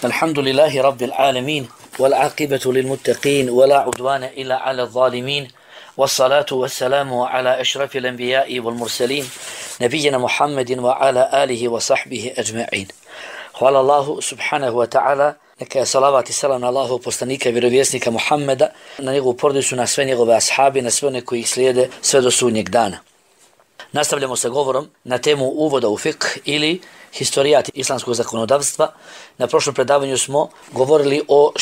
الحمد لله رب العالمين والعاقبة للمتقين ولا عدوان إلا على الظالمين والصلاة والسلام على أشرف الأنبياء والمرسلين نبينا محمد وعلى آله وصحبه أجمعين. Hvala Allahu subhanahu wa ta'ala, neka je salavat i salam na Allahu poslanika i vjerovjesnika Muhammeda, na njegovu porodicu, na sve njegove ashabi, na sve one koji ih slijede sve do sudnjeg dana. Nastavljamo sa govorom na temu uvoda u fiqh ili historijat islamskog zakonodavstva. Na prošlom predavanju smo govorili o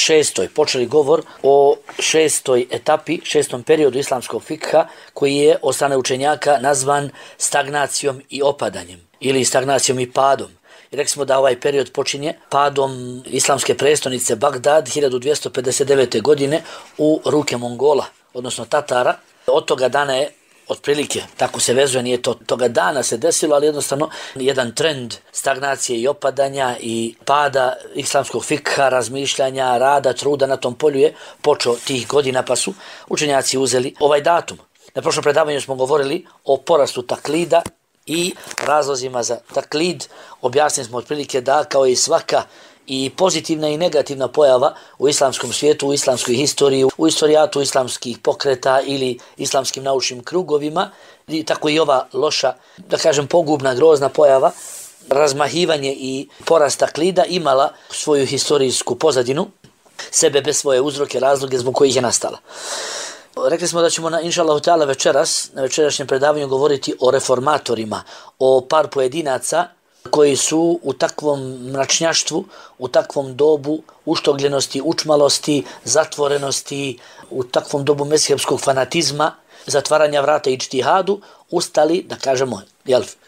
počeli govor o šestoj etapi, šestom periodu islamskog fikha koji je od strane učenjaka nazvan stagnacijom i opadanjem ili stagnacijom i padom. I rekli smo da ovaj period počinje padom islamske prestonice Bagdad 1259. godine u ruke Mongola, odnosno Tatara. Od toga dana je otprilike, tako se vezuje, nije to toga dana se desilo, ali jednostavno jedan trend stagnacije i opadanja i pada islamskog fikha, razmišljanja, rada, truda na tom polju je počeo tih godina, pa su učenjaci uzeli ovaj datum. Na prošlom predavanju smo govorili o porastu taklida i razlozima za taklid. Objasnili smo otprilike da kao i svaka i pozitivna i negativna pojava u islamskom svijetu, u islamskoj historiji, u istorijatu islamskih pokreta ili islamskim naučnim krugovima, i tako i ova loša, da kažem pogubna, grozna pojava, razmahivanje i porast taklida imala svoju historijsku pozadinu, sebe bez svoje uzroke, razloge zbog kojih je nastala. Rekli smo da ćemo inšallahu ta'ala večeras, na večerašnjem predavanju govoriti o reformatorima, o par pojedinaca koji su u takvom mračnjaštvu, u takvom dobu uštogljenosti, učmalosti, zatvorenosti, u takvom dobu mezhebskog fanatizma, zatvaranja vrata i džtihadu, ustali, da kažemo,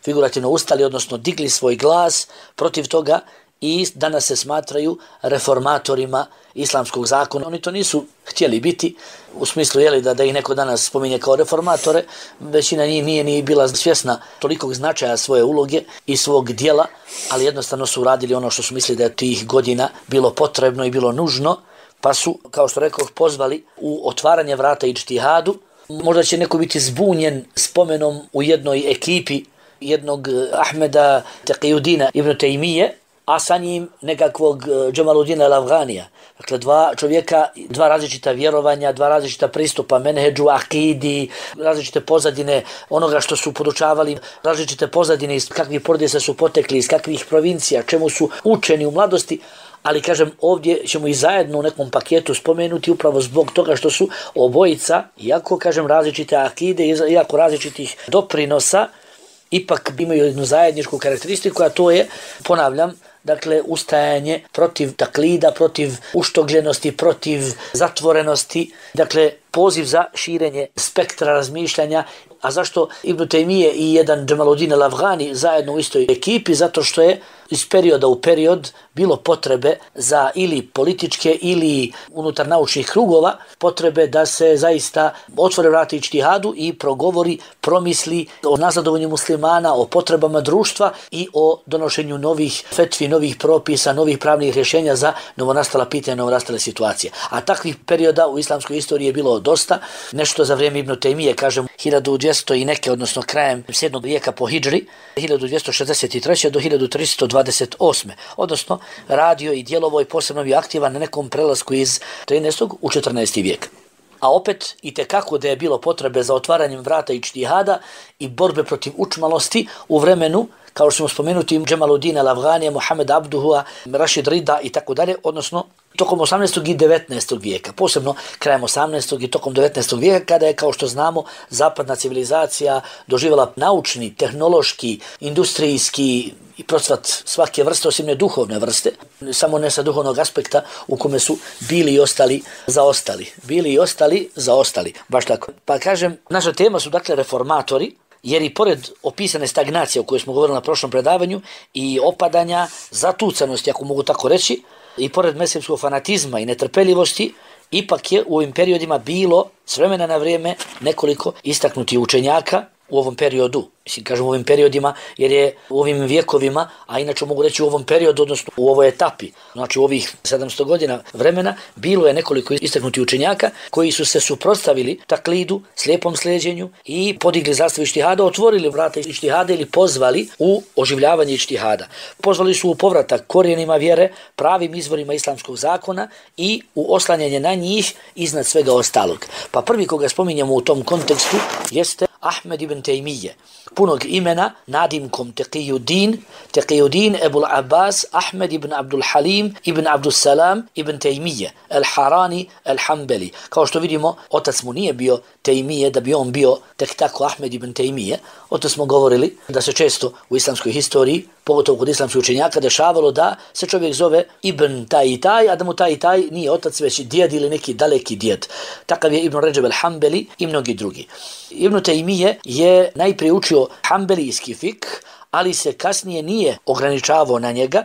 figurativno ustali, odnosno digli svoj glas protiv toga i danas se smatraju reformatorima islamskog zakona. Oni to nisu htjeli biti, u smislu da ih neko danas spominje kao reformatore, većina njih nije ni bila svjesna tolikog značaja svoje uloge i svog dijela, ali jednostavno su radili ono što su mislili da je tih godina bilo potrebno i bilo nužno, pa su, kao što rekao, pozvali u otvaranje vrata i džtihadu. Možda će neko biti zbunjen spomenom u jednoj ekipi jednog Ahmeda Taqiyuddina ibn Taymije, a sa njim nekakvog Džemaludina el-Afganija. Dakle, dva čovjeka, dva različita vjerovanja, dva različita pristupa menheđu, akidi, različite pozadine onoga što su podučavali, različite pozadine iz kakvih porodica su potekli, iz kakvih provincija, čemu su učeni u mladosti, ali kažem, ovdje ćemo i zajedno u nekom paketu spomenuti upravo zbog toga što su obojica, iako kažem različite akide, iako različitih doprinosa, ipak imaju jednu zajedničku karakteristiku, a to je, ponavljam, dakle, ustajanje protiv taklida, protiv uštogljenosti, protiv zatvorenosti, dakle, poziv za širenje spektra razmišljanja. A zašto Ibn Taymije i jedan Džemaludin el-Afgani zajedno u istoj ekipi? Zato što je iz perioda u period bilo potrebe za ili političke ili unutar naučnih krugova potrebe da se zaista otvore vrata džtihadu i progovori, promisli o nazadovanju muslimana, o potrebama društva i o donošenju novih fetvi, novih propisa, novih pravnih rješenja za novonastala pitanja, novonastale situacije. A takvih perioda u islamskoj istoriji je bilo dosta. Nešto za vrijeme Ibn Taymije, kažem, 1200 i neke, odnosno krajem 7. vijeka po hidžri, 1263. do 1328. Odnosno, radio i djelovo i posebno bio aktivan na nekom prelasku iz 13. u 14. vijek. A opet, i tekako da je bilo potrebe za otvaranjem vrata i džtihada i borbe protiv učmalosti u vremenu, kao što smo spomenuti, Džemaludina el-Afganija, Muhammed Abduhua, Rašid Rida i tako dalje, odnosno tokom 18. i 19. vijeka, posebno krajem 18. i tokom 19. vijeka, kada je, kao što znamo, zapadna civilizacija doživjela naučni, tehnološki, industrijski i procvat svake vrste, osim ne duhovne vrste, samo ne sa duhovnog aspekta u kome su bili i ostali zaostali. Bili i ostali zaostali, baš tako. Pa kažem, naša tema su dakle reformatori, jer i pored opisane stagnacije o kojoj smo govorili na prošlom predavanju i opadanja, zatucanosti, ako mogu tako reći, i pored mezhebskog fanatizma i netrpeljivosti, ipak je u ovim periodima bilo s vremena na vrijeme nekoliko istaknutih učenjaka u ovom periodu. Mislim, kažem u ovim periodima, jer je u ovim vjekovima, a inače mogu reći u ovom periodu, odnosno u ovoj etapi, znači u ovih 700 godina vremena, bilo je nekoliko istaknutih učenjaka koji su se suprotstavili taklidu, slijepom slijeđenju i podigli zastavu ištihada, otvorili vrata ištihada ili pozvali u oživljavanje ištihada. Pozvali su u povratak korijenima vjere, pravim izvorima islamskog zakona i u oslanjanje na njih iznad svega ostalog. Pa prvi koga spominjemo u tom kontekstu jeste Ahmed ibn Tejmije, punog imena nadimkom Taqiyuddin Ebul Abbas Ahmed ibn Abdul Halim ibn Abdul Salam ibn Tejmije al-Harani al-Hanbali. Kao što vidimo, otac mu nije bio Tejmije, da bi on bio tek tako Ahmed ibn Tejmije. O to smo govorili da se često u islamskoj historiji, pogotovo kod islamskih učenjaka, dešavalo da se čovjek zove Ibn taj i taj, a da mu taj i taj nije otac, već djed ili neki daleki djed. Takav je Ibn Ređeb al-Hanbali i mnogi drugi. Ibn Tejmije je najprije učio hanbelijski fik, ali se kasnije nije ograničavao na njega,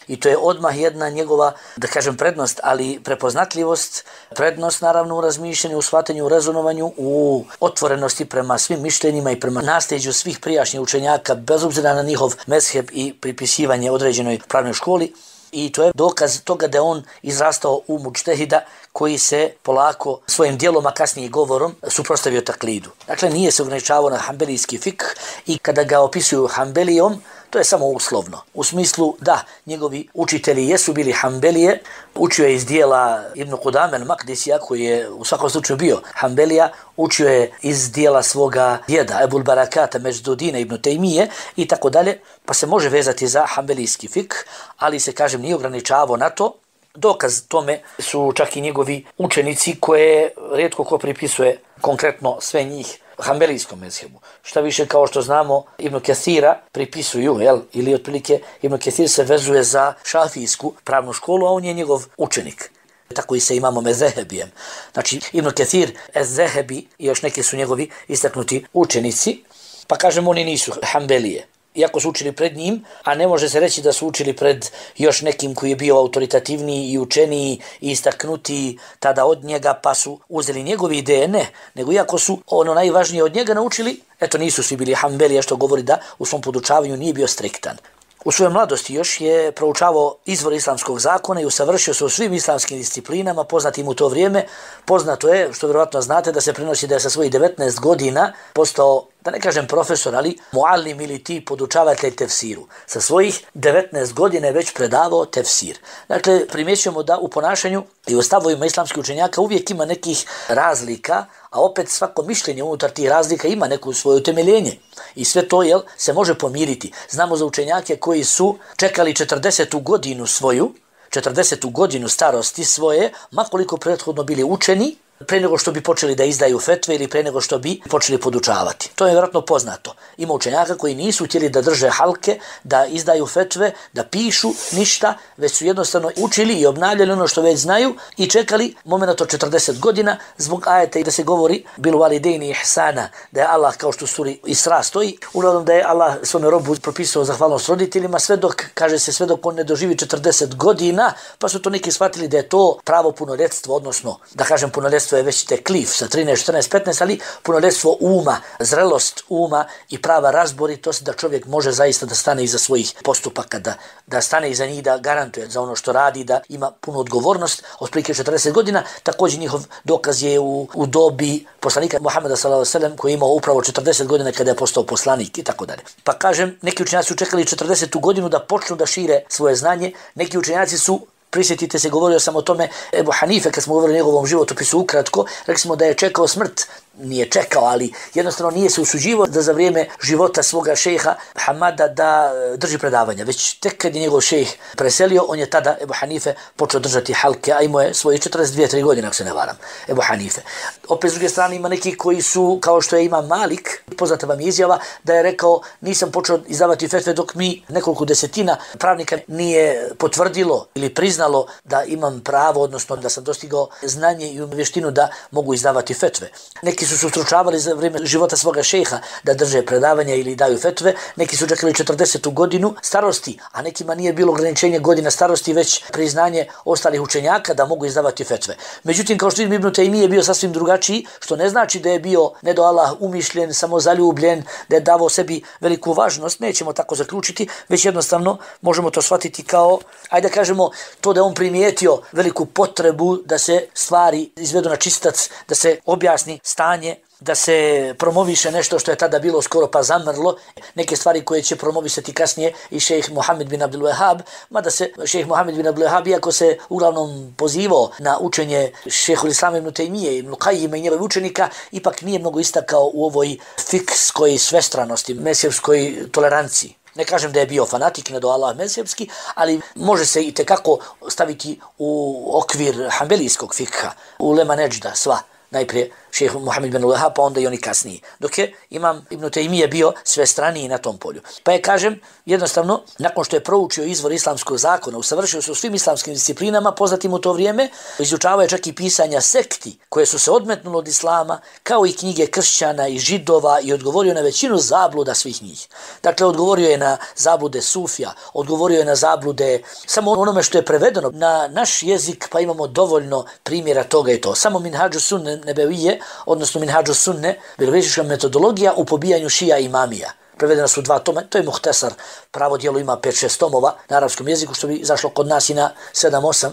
i to je odmah jedna njegova, da kažem, prednost, ali prepoznatljivost, prednost naravno u razmišljanju, u shvatanju, u rezonovanju, u otvorenosti prema svim mišljenjima i prema nasljeđu svih prijašnjih učenjaka, bez obzira na njihov mezheb i pripisivanje određenoj pravnoj školi. I to je dokaz toga da on izrastao u mučtehida koji se polako svojim djelom, a kasnije govorom, suprotstavio taklidu. Dakle, nije se ograničavao na hanbelijski fik i kada ga opisuju hanbelijom, to je samo uslovno. U smislu da njegovi učitelji jesu bili hanbelije, učio je iz dijela Ibn Qudame al-Maqdisija, koji je u svakom slučaju bio hanbelija, učio je iz dijela svoga djeda Ebul Barakata Međdudina ibn Tejmije i tako dalje, pa se može vezati za hanbelijski fik, ali se, kažem, nije ograničavao na to. Dokaz tome su čak i njegovi učenici koje rijetko ko pripisuje konkretno sve njih hanbelijskom mezhebu. Šta više, kao što znamo, Ibn Kathira pripisuju, ili otprilike Ibn Kathir se vezuje za šafijsku pravnu školu, a on je njegov učenik. Tako i se imamo Mezehebijem. Znači, Ibn Kathir, Ezehebi i još neki su njegovi istaknuti učenici, pa kažem, oni nisu hanbelije. Iako su učili pred njim, a ne može se reći da su učili pred još nekim koji je bio autoritativniji i učeniji i istaknutiji tada od njega, pa su uzeli njegove ideje, ne, nego iako su ono najvažnije od njega naučili, eto nisu svi bili hanbelije, što govori da u svom podučavanju nije bio striktan. U svojoj mladosti još je proučavao izvor islamskog zakona i usavršio se u svim islamskim disciplinama poznatim u to vrijeme. Poznato je, što vjerovatno znate, da se prenosi da je sa svojih 19 godina postao, da ne kažem profesor, ali muallim ili ti podučavatelj tefsiru. Sa svojih 19 godina je već predavao tefsir. Dakle, primjećujemo da u ponašanju i u stavovima islamskih učenjaka uvijek ima nekih razlika, a opet svako mišljenje unutar tih razlika ima neko svoje utemeljenje. I sve to se može pomiriti. Znamo za učenjake koji su čekali 40. godinu svoju, 40. godinu starosti svoje, makoliko prethodno bili učeni, pre nego što bi počeli da izdaju fetve ili pre nego što bi počeli podučavati. To je vjerojatno poznato. Ima učenjaka koji nisu htjeli da drže halke, da izdaju fetve, da pišu ništa, već su jednostavno učili i obnavljali ono što već znaju i čekali moment od 40 godina zbog ajeta i da se govori bil validejni ihsana, da je Allah, kao što suri Isra stoji, uglavnom da je Allah svome robu propisao zahvalnost roditeljima, sve dok, kaže se, sve dok on ne doživi 40 godina, pa su to neki shvatili da je to pravo punoljetstvo, odnosno, da kažem, punoljetstvo je već teklif sa 13, 14, 15, ali punoljetstvo uma, zrelost uma i prava razboritost da čovjek može zaista da stane iza svojih postupaka, da stane iza njih, da garantuje za ono što radi, da ima punu odgovornost. Otprilike 40 godina, također njihov dokaz je u dobi poslanika Muhameda s.a.v. koji je imao upravo 40 godina kada je postao poslanik i tako dalje. Pa kažem, neki učenjaci su čekali 40. godinu da počnu da šire svoje znanje, neki učenjaci su, prisjetite se, govorio sam o tome, Ebu Hanife, kad smo govorili o njegovom životopisu ukratko, rekli smo da je čekao smrt. Nije čekao, ali jednostavno nije se usuđivao da za vrijeme života svoga šejha Hamada da drži predavanja. Već tek kad je njegov šejh preselio, on je tada, Ebu Hanife, počeo držati halke, a imao je svoje 42-3 godine, ako se ne varam, Ebu Hanife. Opet s druge strane ima neki koji su, kao što je Imam Malik, poznata vam izjava, da je rekao, nisam počeo izdavati fetve dok mi nekoliko desetina pravnika nije potvrdilo ili priznalo da imam pravo, odnosno da sam dostigao znanje i vještinu da mogu izdavati fetve. Neki Neki su se ustručavali za vrijeme života svoga šejha da drže predavanja ili daju fetve, neki su čekali 40. godinu starosti, a nekima nije bilo ograničenje godina starosti, već priznanje ostalih učenjaka da mogu izdavati fetve. Međutim, kao što vidim, Ibn Tejmije je bio sasvim drugačiji, što ne znači da je bio ne do Allah umišljen, samozaljubljen, da je davao sebi veliku važnost, nećemo tako zaključiti, već jednostavno možemo to shvatiti kao, ajde da kažemo, to da on primijetio veliku potrebu da se stvari izvedu na čistac, da se objasni stanje, da se promoviše nešto što je tada bilo skoro pa zamrlo, neke stvari koje će promovisati kasnije i šejh Muhammed bin Abdul Wahhab, mada se šejh Muhammed bin Abdul Wahhab, iako se uglavnom pozivao na učenje šejhul Islama ibn Tejmije, ibn Qajima i njegovih učenika, ipak nije mnogo istakao u ovoj fikskoj svestranosti, mesjevskoj toleranciji. Ne kažem da je bio fanatik, ne do Allah mezhebski, ali može se i tekako staviti u okvir hanbelijskog fikha, ulema neđda, sva. Najprije šejh Muhammed bin Wahhab, pa onda i oni kasniji. Dok je Imam Ibn Tejmije bio sve straniji na tom polju. Pa je, kažem, jednostavno, nakon što je proučio izvor islamskog zakona, usavršio se u svim islamskim disciplinama, poznatim u to vrijeme, izučavao je čak i pisanja sekti koje su se odmetnule od islama, kao i knjige kršćana i židova, i odgovorio na većinu zabluda svih njih. Dakle, odgovorio je na zablude sufija, odgovorio je na zablude samo onome što je prevedeno na naš jezik, pa imamo dovoljno primjera toga i to. Samo Minhadžu Sunne Nebevije, odnosno Minhadžu Sunne, vjeroviještička metodologija u pobijanju šija i imamija. Prevedena su 2 toma, to je Muhtesar, pravo djelo ima 5-6 tomova na arapskom jeziku, što bi izašlo kod nas i na 7-8.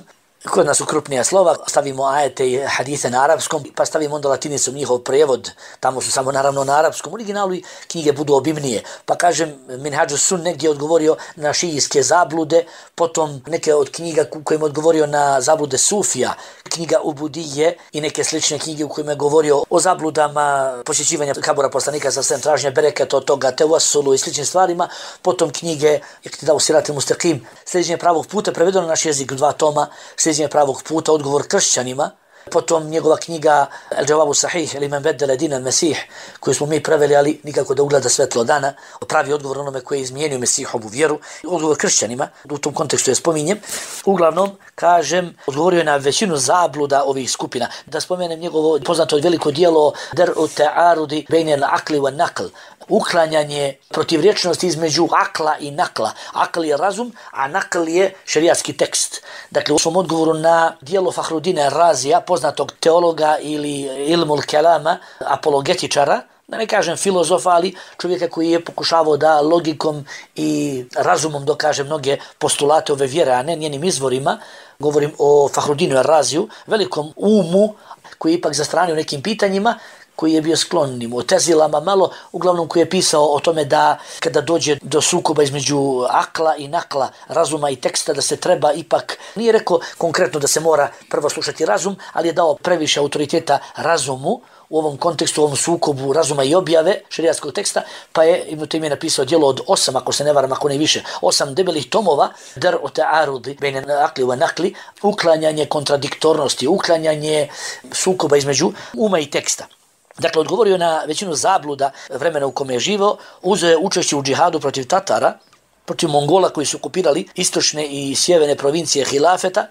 Kod nas su krupnija slova, stavimo ajete i hadise na arapskom, pa stavimo onda latinicom njihov prevod, tamo su samo naravno na arapskom originalu i knjige budu obimnije. Pa kažem, Minhadžu Sunne gdje je odgovorio na šijijske zablude, potom neke od knjiga kojima je odgovorio na zablude sufija, knjiga Ubudije i neke slične knjige u kojima je govorio o zabludama posjećivanja kabura poslanika sa svem traženja bereketa od toga, tevasulu i sličnim stvarima, potom knjige Iktidau Siratil Mustaqim, sljeđenje pravog puta, prevedeno na naš jezik 2 toma, sljeđenje pravog puta, odgovor kršćanima, potom njegova knjiga El Džavabu Sahih, ili Men Beddele Dina Mesih, koju smo mi preveli, ali nikako da ugleda svetlo dana, pravi odgovor onome koji je izmijenio Mesihovu vjeru, odgovor kršćanima, u tom kontekstu je spominjem. Uglavnom, kažem, odgovorio je na većinu zabluda ovih skupina. Da spomenem njegovo poznato veliko dijelo Der'u Ta'arudi Bejnel Akli wa Nakl, uklanjanje protivrječnosti između akla i nakla. Akl je razum, a nakl je šerijatski tekst. Dakle, u svom odgovoru na dijelo Fahrudina Razija, poznatog teologa ili ilmul kelama, apologetičara, da ne kažem filozofa, ali čovjeka koji je pokušavao da logikom i razumom dokaže mnoge postulate ove vjere, a ne njenim izvorima. Govorim o Fahrudinu Raziju, velikom umu koji je ipak zastranio nekim pitanjima, koji je bio sklon Mu'tezilama malo, uglavnom koji je pisao o tome da kada dođe do sukoba između akla i nakla, razuma i teksta, da se treba ipak, nije rekao konkretno da se mora prvo slušati razum, ali je dao previše autoriteta razumu u ovom kontekstu, u ovom sukobu razuma i objave šerijatskog teksta, pa je Ibn Tejmije napisao djelo od 8, ako se ne varam, ako ne više, 8 debelih tomova, Der'u Ta'arudi Bejnel Akli wa Nakli, uklanjanje kontradiktornosti, uklanjanje sukoba između uma i teksta. Dakle, odgovorio na većinu zabluda vremena u kome je živao, uzeo je učešće u džihadu protiv Tatara, protiv Mongola koji su okupirali istočne i sjeverne provincije hilafeta,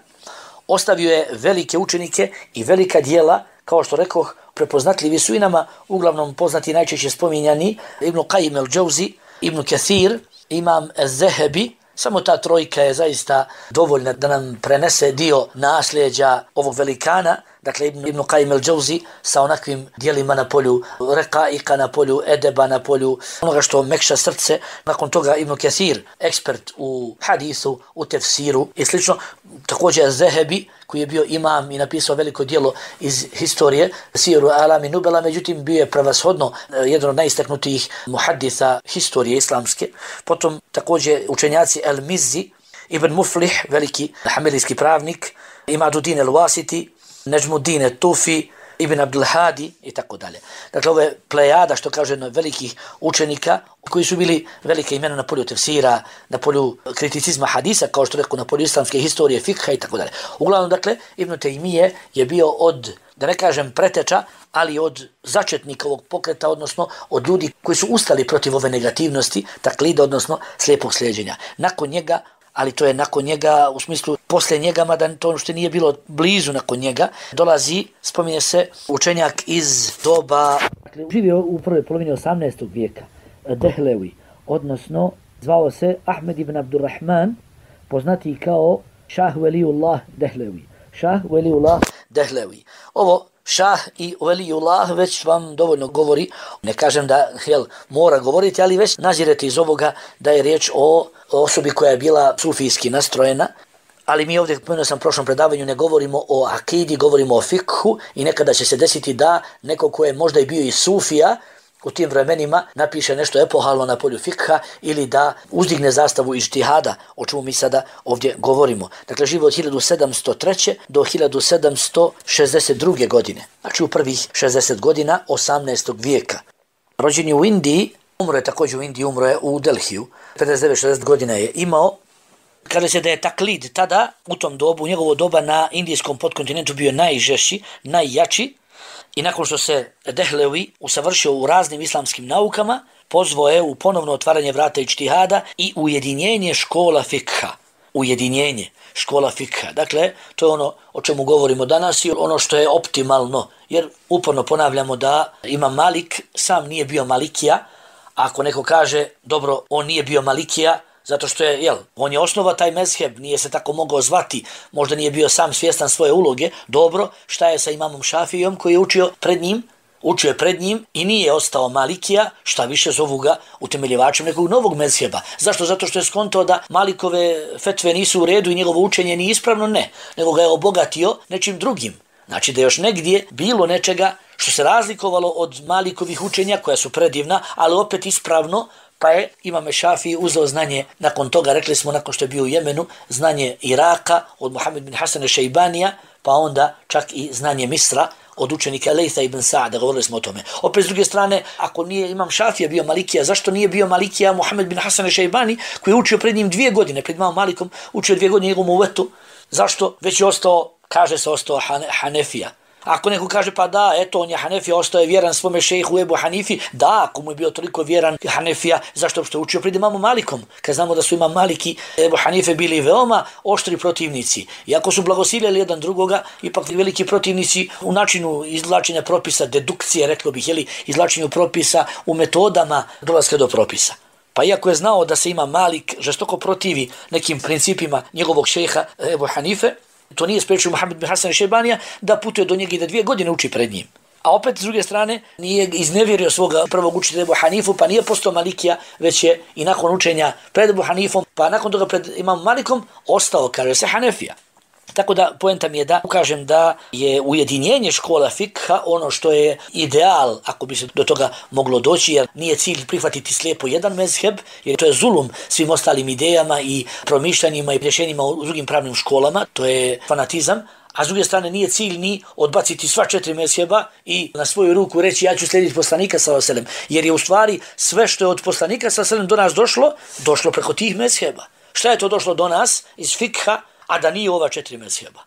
ostavio je velike učenike i velika djela, kao što rekoh, prepoznatljivi su i nama, uglavnom poznati najčešće spominjani, Ibn Qajim el-Džauzi, Ibn Kathir, Imam el-Zehebi. Samo ta trojka je zaista dovoljna da nam prenese dio nasljeđa ovog velikana, dakle Ibn Qajim el-Džauzi sa onakvim dijelima na polju rekaika, na polju edeba, na polju onoga što mekša srce. Nakon toga Ibn Kathir, ekspert u hadisu, u tefsiru i slično. Također Zehebi, koji je bio imam i napisao veliko djelo iz historije, Siru Alami Nubela, međutim bio je prevashodno jedan od najistaknutijih muhaddisa historije islamske. Potom također učenjaci El-Mizzi, Ibn Muflih, veliki hamilijski pravnik, Imaduddin el-Wasiti, Nežmuddin el-Tufi, Ibn Abdul Hadi i tako dalje. Dakle, ovo je plejada, što kaže, velikih učenika koji su bili velike imena na polju tefsira, na polju kriticizma hadisa, kao što reku, na polju islamske historije, fikha i tako dalje. Uglavnom, dakle, Ibn Tejmije je bio od, da ne kažem preteča, ali od začetnika ovog pokreta, odnosno od ljudi koji su ustali protiv ove negativnosti, taklida, odnosno slijepog slijeđenja. Nakon njega ali to je nakon njega, u smislu poslije njega, mada to što nije bilo blizu nakon njega, dolazi, spominje se, učenjak iz doba, živio u prvoj polovini 18. vijeka, Dehlevi, odnosno zvao se Ahmed ibn Abdurrahman, poznati kao Šah Veliullah Dehlevi. Šah Veliullah Dehlevi. Ovo Šah i Veliullah već vam dovoljno govori, ne kažem da mora govoriti, ali već nazirete iz ovoga da je riječ o osobi koja je bila sufijski nastrojena, ali mi ovdje, pomenuo sam u prošlom predavanju, ne govorimo o akidi, govorimo o fikhu i nekada će se desiti da neko ko je možda i bio i sufija u tim vremenima napiše nešto epohalno na polju fikha ili da uzdigne zastavu ijtihada, o čemu mi sada ovdje govorimo. Dakle, živo od 1703. do 1762. godine, znači u prvih 60 godina 18. vijeka. Rođen je u Indiji, umro je također u Indiji, umro je u Delhiju, 59-60 godina je imao. Kaže se da je taklid tada, u tom dobu, u njegovo doba na indijskom podkontinentu bio najžešći, najjači, i nakon što se Dehlevi usavršio u raznim islamskim naukama, pozvao je u ponovno otvaranje vrata ijtihada i ujedinjenje škola fikha. Ujedinjenje škola fikha. Dakle, to je ono o čemu govorimo danas i ono što je optimalno, jer uporno ponavljamo da Imam Malik sam nije bio Malikija. Ako neko kaže, dobro, on nije bio Malikija, zato što je, on je osnova taj mezheb, nije se tako mogao zvati, možda nije bio sam svjestan svoje uloge. Dobro, šta je sa imamom Šafijom koji je učio pred njim i nije ostao Malikija, šta više zovu ga utemeljivačem nekog novog mezheba. Zašto? Zato što je skontao da Malikove fetve nisu u redu i njegovo učenje nije ispravno, ne, nego ga je obogatio nečim drugim. Znači da još negdje bilo nečega što se razlikovalo od Malikovih učenja koja su predivna, ali opet ispravno, pa je Imam Šafiji uzeo znanje nakon toga, rekli smo nakon što je bio u Jemenu, znanje Iraka od Muhammed bin Hasan Šejbanija, pa onda čak i znanje Misra od učenika Lejtha ibn Sa'da, govorili smo o tome. Opet s druge strane, ako nije Imam Šafija bio Malikija, zašto nije bio Malikija Muhammed bin Hasan Šejbani, koji je učio pred njim 2 godine, pred Imam Malikom, učio 2 godine njegovom uvetu? Zašto? Već je ostao, kaže se, ostao Hanefija. Ako neko kaže, pa da, eto, on je Hanefija, ostao je vjeran svome šejhu Ebu Hanifi, da, ako mu je bio toliko vjeran Hanefija, zašto je učio pred Imamom Malikom? Kad znamo da su Imam Malik i Ebu Hanife bili veoma oštri protivnici. Iako su blagosiljali jedan drugoga, ipak veliki protivnici u načinu izvlačenja propisa, dedukcije, reklo bih, izvlačenju propisa u metodama dolaska do propisa. Pa iako je znao da se Imam Malik žestoko protivi nekim principima njegovog šejha Ebu Hanife, to nije spriječio Muhammed bin Hasan Šejbanija da putuje do njega i da 2 godine uči pred njim. A opet, s druge strane, nije iznevjerio svoga prvog učitelja Ebu Hanifu, pa nije postao Malikija, već je i nakon učenja pred Ebu Hanifom, pa nakon toga pred Imam Malikom, ostao, kaže se, Hanefija. Tako da, poenta mi je da ukažem da je ujedinjenje škola fikha ono što je ideal, ako bi se do toga moglo doći, jer nije cilj prihvatiti slijepo jedan mezheb, jer to je zulum svim ostalim idejama i promišljanjima i rješenjima u drugim pravnim školama, to je fanatizam. A s druge strane nije cilj ni odbaciti sva 4 mezheba i na svoju ruku reći ja ću slijediti poslanika sallallahu alejhi ve sellem, jer je u stvari sve što je od poslanika sallallahu alejhi ve sellem do nas došlo preko tih mezheba. Šta je to došlo do nas iz fikha, a da nije ova 4 mezheba?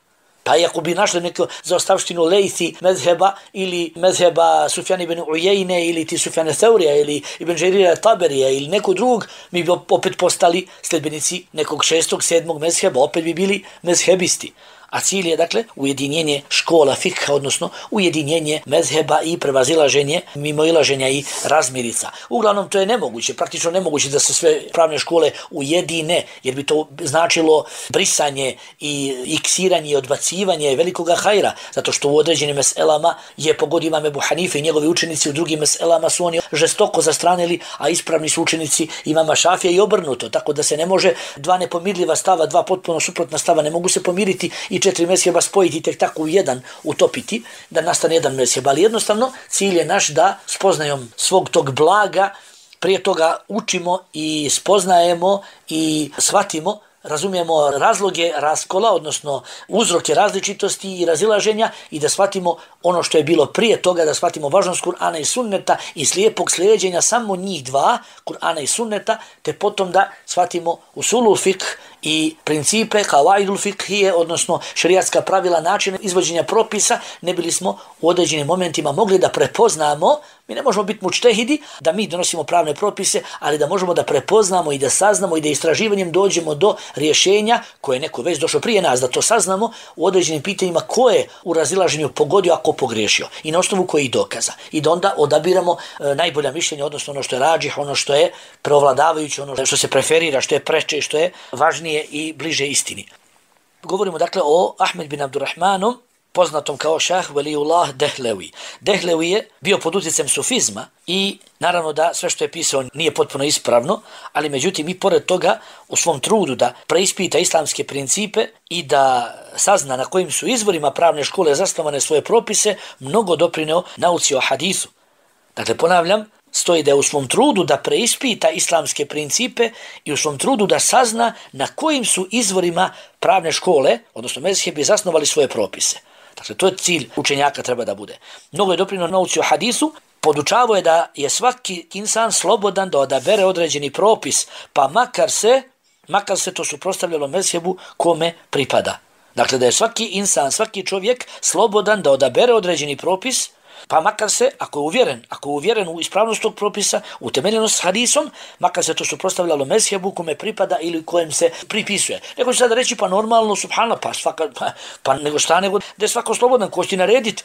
Pa ako bi našli neku zaostavštinu Lejthi mezheba ili mezheba Sufjana ibn Ujejne ili ti Sufjana Thaurija ili Ibn Đerira Taberija ili nekog drugog, mi bi opet postali sljedbenici nekog 6. 7. mezheba, opet bi bili mezhebisti. A cilj je, dakle, ujedinjenje škola fikha, odnosno ujedinjenje mezheba i prevazilaženje, mimoilaženja i razmirica. Uglavnom, to je nemoguće, praktično nemoguće da se sve pravne škole ujedine, jer bi to značilo brisanje i iksiranje i odbacivanje velikoga hajra, zato što u određenim meselama je pogodio Imam Ebu Hanife i njegovi učenici, u drugim meselama su oni žestoko zastranili, a ispravni su učenici Imama Šafija i obrnuto, tako da se ne može 2 nepomirljiva stava, 2 potpuno suprotna stava, ne mogu se pomiriti i 4 mezheba spojiti tek tako u jedan utopiti, da nastane jedan mezheb. Ali jednostavno cilj je naš da spoznajom svog tog blaga prije toga učimo i spoznajemo i shvatimo, razumijemo razloge raskola, odnosno uzroke različitosti i razilaženja i da shvatimo ono što je bilo prije toga, da shvatimo važnost Kur'ana i sunneta i slijepog slijeđenja samo njih 2, Kur'ana i sunneta, te potom da shvatimo usulul fiqh i principe kavaidul fiqhije, odnosno šerijatska pravila, načina izvođenja propisa, ne bili smo u određenim momentima mogli da prepoznamo Mi ne možemo biti mučtehidi da mi donosimo pravne propise, ali da možemo da prepoznamo i da saznamo i da istraživanjem dođemo do rješenja koje je neko već došao prije nas, da to saznamo u određenim pitanjima ko je u razilaženju pogodio, a ko pogriješio i na osnovu kojih dokaza. I da onda odabiramo najbolja mišljenja, odnosno ono što je rađih, ono što je preovladavajuće, ono što se preferira, što je preče, što je važnije i bliže istini. Govorimo dakle o Ahmed bin Abdurrahmanu, poznatom kao Šah Veliullah Dehlevi. Dehlevi je bio pod utjecajem sufizma i naravno da sve što je pisao nije potpuno ispravno, ali međutim i pored toga u svom trudu da preispita islamske principe i da sazna na kojim su izvorima pravne škole zasnovane svoje propise, mnogo doprineo nauci o hadisu. Dakle, ponavljam, stoji da je u svom trudu da preispita islamske principe i u svom trudu da sazna na kojim su izvorima pravne škole, odnosno mezhebi, zasnovali svoje propise. Dakle, to je cilj učenjaka treba da bude. Mnogo je doprinio nauci o hadisu, podučavao je da je svaki insan slobodan da odabere određeni propis, pa makar se to suprotstavljalo mezhebu kome pripada. Dakle, da je svaki insan, svaki čovjek slobodan da odabere određeni propis, pa makar se, ako je uvjeren u ispravnost tog propisa, utemeljenost s hadisom, makar se to suprotstavljalo mezhebu kome pripada ili kojem se pripisuje. Neko će sada reći, pa normalno, subhanallah, nego da je svako slobodan, ko će narediti.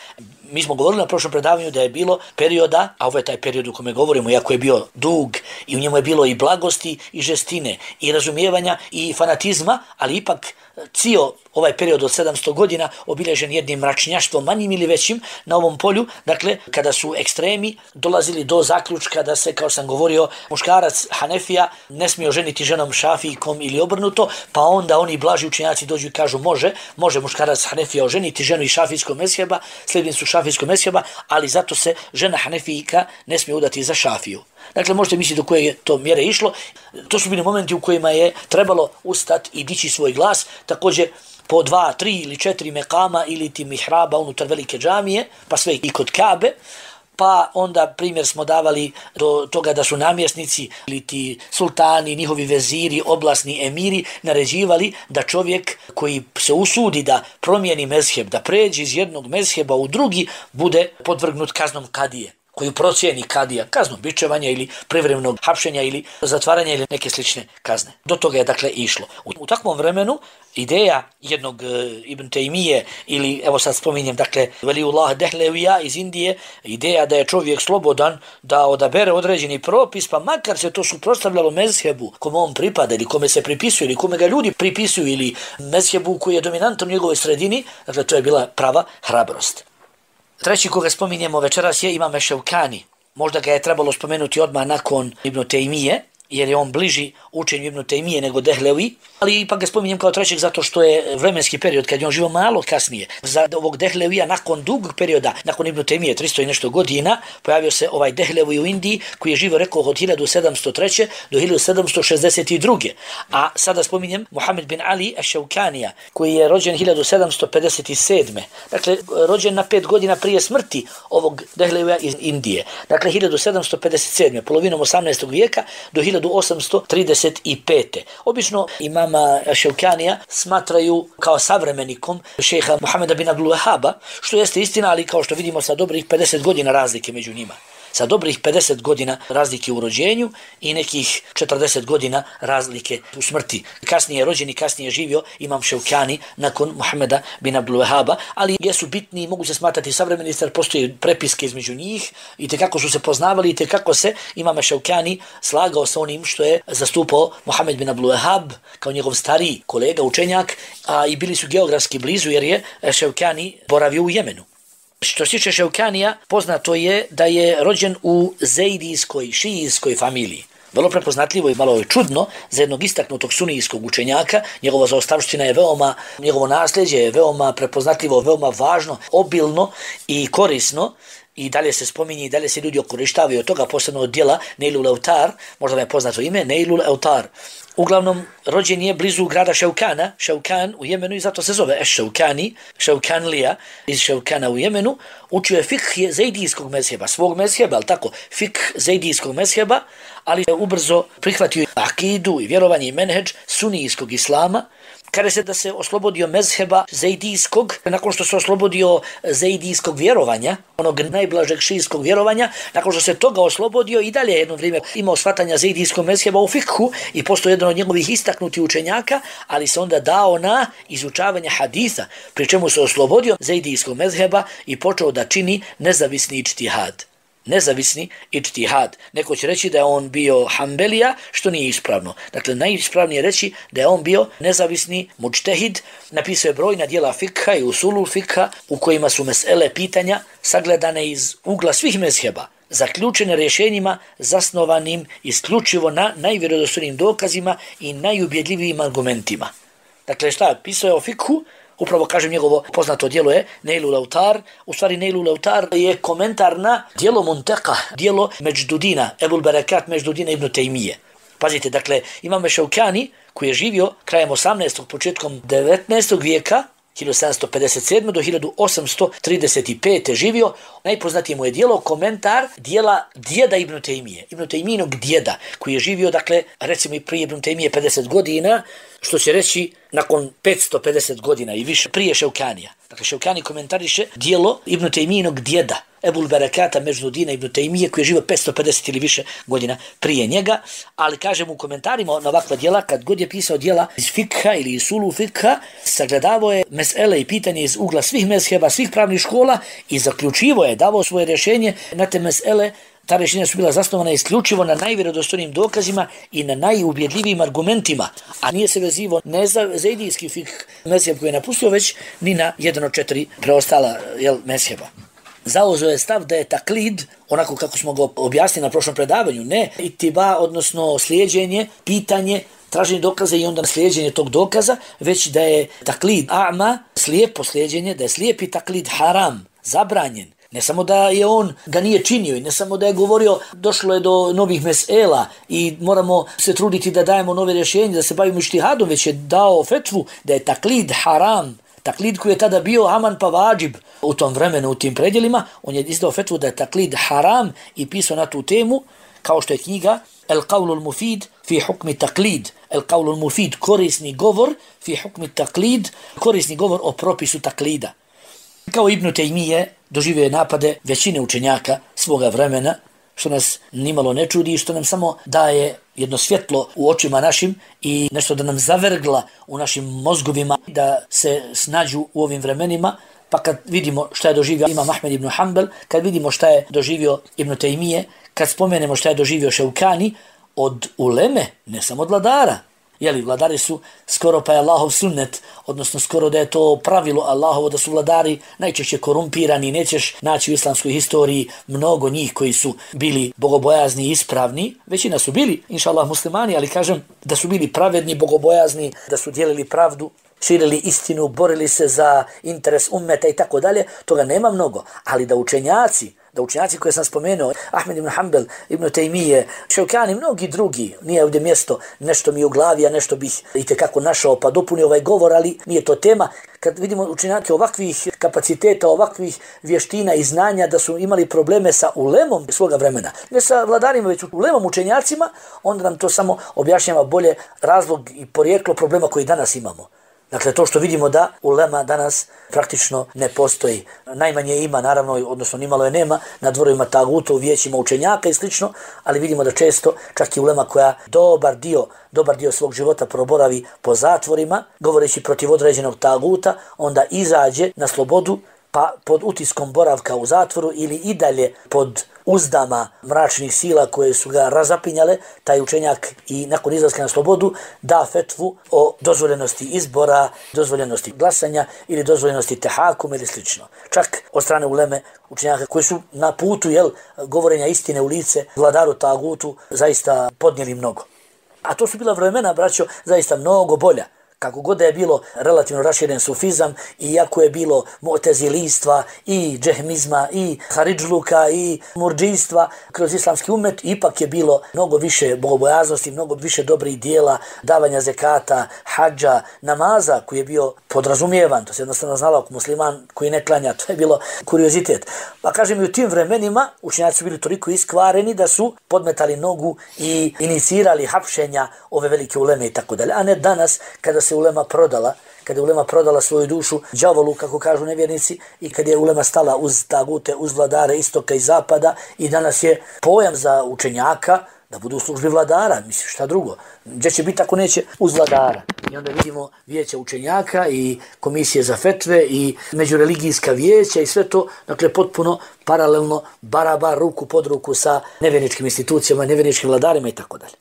Mi smo govorili na prošlom predavanju da je bilo perioda, a ovo je taj period u kome govorimo, iako je bio dug i u njemu je bilo i blagosti i žestine i razumijevanja i fanatizma, ali ipak cijel ovaj period od 700 godina obilježen jednim mračnjaštvom manjim ili većim na ovom polju, dakle kada su ekstremi dolazili do zaključka da se, kao sam govorio, muškarac Hanefija ne smije oženiti ženom Šafijkom ili obrnuto, pa onda oni blaži učenjaci dođu i kažu može muškarac Hanefija oženiti ženu iz šafijskog mezheba, sljedbenicu šafijskog mezheba, ali zato se žena Hanefijka ne smije udati za Šafiju. Dakle, možete misliti do koje je to mjere išlo. To su bili momenti u kojima je trebalo ustati i dići svoj glas, također po 2, 3 ili 4 mekama ili ti mihraba unutar velike džamije, pa sve i kod Kabe. Pa onda primjer smo davali do toga da su namjesnici ili ti sultani, njihovi veziri, oblasni emiri naređivali da čovjek koji se usudi da promijeni mezheb, da pređe iz jednog mezheba u drugi, bude podvrgnut kaznom kadije, koju procijeni kadija, kaznom bičevanja ili privremenog hapšenja ili zatvaranja ili neke slične kazne. Do toga je dakle išlo. U takvom vremenu ideja jednog Ibn Taymije ili, evo sad spominjem, dakle, Veliullah Dehlevija iz Indije, ideja da je čovjek slobodan da odabere određeni propis, pa makar se to suprotstavljalo mezhebu kome on pripada ili kome se pripisuje ili kome ga ljudi pripisuju ili mezhebu koji je dominantan u njegovoj sredini, dakle, to je bila prava hrabrost. Treći koga spominjemo večeras je Imam Ševkani. Možda ga je trebalo spomenuti odmah nakon Ibn Taymije, jer je on bliži učenju Ibn Taymije nego Dehlevi, ali ipak ga spominjem kao trećeg zato što je vremenski period kad je on živio malo kasnije. Za ovog Dehlevija nakon dugog perioda, nakon Ibn Taymije 300 i nešto godina, pojavio se ovaj Dehlevi u Indiji koji je živio, rekao, od 1703. do 1762. A sada spominjem Muhammed bin Ali Ash-Shawkanija koji je rođen 1757. Dakle, rođen na 5 godina prije smrti ovog Dehlevija iz Indije. Dakle, 1757. polovinom 18. vijeka do 1835. Obično imama Ševkanija smatraju kao savremenikom šejha Muhameda bin Abdul Wahhaba, što jeste istina, ali kao što vidimo sa dobrih 50 godina razlike među njima. Sa dobrih 50 godina razlike u rođenju i nekih 40 godina razlike u smrti. Kasnije je rođen i kasnije je živio Imam Ševkani nakon Muhameda bin Abdul Wahhaba, ali jesu bitni i mogu se smatrati savremeni, jer postoje prepiske između njih i tekako su se poznavali i tekako se Imam Ševkani slagao sa onim što je zastupao Muhammed bin Abdul Wahhab kao njegov stariji kolega, učenjak, a i bili su geografski blizu jer je Ševkani boravio u Jemenu. Što se tiče Ševkanija, poznato je da je rođen u zejdijskoj, šijijskoj familiji. Vrlo prepoznatljivo i malo je čudno za jednog istaknutog sunijskog učenjaka. Njegova zaostavština je njegovo nasljeđe je veoma prepoznatljivo, veoma važno, obilno i korisno. I dalje se spominje i dalje se ljudi okorištavaju od toga, posebno od dijela Neilul Autar, možda vam je poznato ime, Neilul Autar. Uglavnom, rođen je blizu grada Ševkana, Ševkan u Jemenu i zato se zove Eš-Ševkani, Ševkanlija iz Ševkana u Jemenu. Učio je fikh zejdijskog mezheba, svog mezheba, ali tako, fikh zejdijskog mezheba, ali je ubrzo prihvatio akidu i vjerovanje i menheđ sunijskog islama Kaže se da se oslobodio mezheba zejdijskog, nakon što se oslobodio zejdijskog vjerovanja, onog najblažeg šijskog vjerovanja, nakon što se toga oslobodio i dalje jedno vrijeme imao shvatanja zejdijskog mezheba u fikhu i postao jedan od njegovih istaknutih učenjaka, ali se onda dao na izučavanje haditha, pri čemu se oslobodio zejdijskog mezheba i počeo da čini nezavisni ičtihad. Nezavisni ičtihad. Neko će reći da je on bio Hanbelija, što nije ispravno. Dakle, najispravnije reći da je on bio nezavisni mučtehid, napisao je brojna djela fikha i usulul fikha u kojima su mesele pitanja sagledane iz ugla svih mezheba, zaključene rješenjima zasnovanim isključivo na najvjerodostojnijim dokazima i najubjedljivijim argumentima. Dakle, šta? Pisao je o fikhu. Upravo kažem, njegovo poznato djelo je Neilul Autar. U stvari Neilul Autar je komentar na djelo Munteka, djelo Međdudina, Ebul Berekat Međdudina ibn Tejmije. Pazite, dakle, imam Šaukani koji je živio krajem 18. početkom 19. vijeka, 1757. do 1835. živio. Najpoznatije mu je djelo komentar djela djeda Ibn Tejmije, Ibn Tejmijinog djeda, koji je živio, dakle, recimo i prije Ibn Tejmije 50 godina, što će reći nakon 550 godina i više prije Šaukanija. Dakle, Šaukani komentariše djelo Ibn Tejmijinog djeda, Ebul Berekata Međdudina ibn Tejmije, koji je živio 550 ili više godina prije njega, ali kažem u komentarima na ovakva djela, kad god je pisao djela iz fikha ili iz sulu fikha, sagledavao je mesele i pitanje iz ugla svih mezheba, svih pravnih škola i zaključivo je, davao svoje rješenje na te mesele. Ta rješenja su bila zasnovana isključivo na najvjerodostojnijim dokazima i na najubjedljivijim argumentima, a nije se vezivo ne za zejdijski fikh mezheb koji je napustio, već ni na jedan od 4 preostala mezheba. Zauzeo je stav da je taklid, onako kako smo ga objasnili na prošlom predavanju, ne itiba, odnosno slijeđenje, pitanje, traženje dokaza i onda slijeđenje tog dokaza, već da je taklid a'ma, slijepo slijeđenje, da je slijepi taklid haram, zabranjen. Ne samo da je on ga nije činio i ne samo da je govorio došlo je do novih mesela i moramo se truditi da dajemo nove rješenje, da se bavimo ištihadom, već je dao fetvu da je taklid haram. Taklid koji je tada bio aman pa vađib u tom vremenu, u tim predjelima, on je izdao fetvu da je taklid haram i pisao na tu temu, kao što je knjiga El Qawlul Mufid fi hukmi taklid. El Qawlul Mufid, korisni govor, fi hukmi taklid, korisni govor o propisu taklida. Kao Ibn Tejmije doživio je napade većine učenjaka svoga vremena, što nas nimalo ne čudi i što nam samo daje jedno svjetlo u očima našim i nešto da nam zavergla u našim mozgovima da se snađu u ovim vremenima. Pa kad vidimo šta je doživio Imam Ahmed ibn Hanbel, kad vidimo šta je doživio Ibn Tejmije, kad spomenemo šta je doživio Šaukani, od uleme, ne samo od vladara. Vladari su skoro pa je Allahov sunnet, odnosno skoro da je to pravilo Allahovo da su vladari najčešće korumpirani. Nećeš naći u islamskoj historiji mnogo njih koji su bili bogobojazni i ispravni. Većina su bili, inša Allah, muslimani, ali kažem da su bili pravedni, bogobojazni, da su dijelili pravdu, širili istinu, borili se za interes ummeta i tako dalje. Toga nema mnogo, ali da učenjaci koje sam spomenuo, Ahmed ibn Hanbel, Ibn Tejmije, Šaukani, mnogi drugi, nije ovdje mjesto, nešto mi u glavi, a nešto bih itekako našao pa dopunio ovaj govor, ali nije to tema. Kad vidimo učenjake ovakvih kapaciteta, ovakvih vještina i znanja da su imali probleme sa ulemom svoga vremena, ne sa vladarima, već ulemom učenjacima, onda nam to samo objašnjava bolje razlog i porijeklo problema koji danas imamo. Dakle, to što vidimo da ulema danas praktično ne postoji. Najmanje ima, naravno, odnosno nimalo je nema, na dvorovima taguta, u vijećima učenjaka i slično, ali vidimo da često čak i ulema koja dobar dio svog života proboravi po zatvorima, govoreći protiv određenog taguta, onda izađe na slobodu, pa pod utiskom boravka u zatvoru ili i dalje pod uzdama mračnih sila koje su ga razapinjale, taj učenjak i nakon izlaska na slobodu da fetvu o dozvoljenosti izbora, dozvoljenosti glasanja ili dozvoljenosti tehakum ili slično. Čak od strane uleme učenjaka koji su na putu govorenja istine u lice vladaru tagutu zaista podnijeli mnogo. A to su bila vremena, braćo, zaista mnogo bolja. Kako god da je bilo relativno raširen sufizam, iako je bilo mu'tezilistva i džehmizma i haridžluka i murdžijstva kroz islamski umet, ipak je bilo mnogo više bogobojaznosti, mnogo više dobrih dijela, davanja zekata, hadža, namaza koji je bio podrazumijevan. To se jednostavno znalo ako musliman koji ne klanja, to je bilo kuriozitet. Pa kažem, i u tim vremenima učenjaci su bili toliko iskvareni da su podmetali nogu i inicirali hapšenja ove velike uleme i tako dalje. A ne danas kada se ulema prodala, kada je ulema prodala svoju dušu đavolu, kako kažu nevjernici, i kad je ulema stala uz tagute, uz vladare istoka i zapada, i danas je pojam za učenjaka da budu u službi vladara, misliš šta drugo. Gdje će biti ako neće uz vladara? I onda vidimo vijeća učenjaka i komisije za fetve i međureligijska vijeća i sve to, dakle potpuno paralelno, barabar, ruku pod ruku sa nevjerničkim institucijama, nevjerničkim vladarima i tako dalje.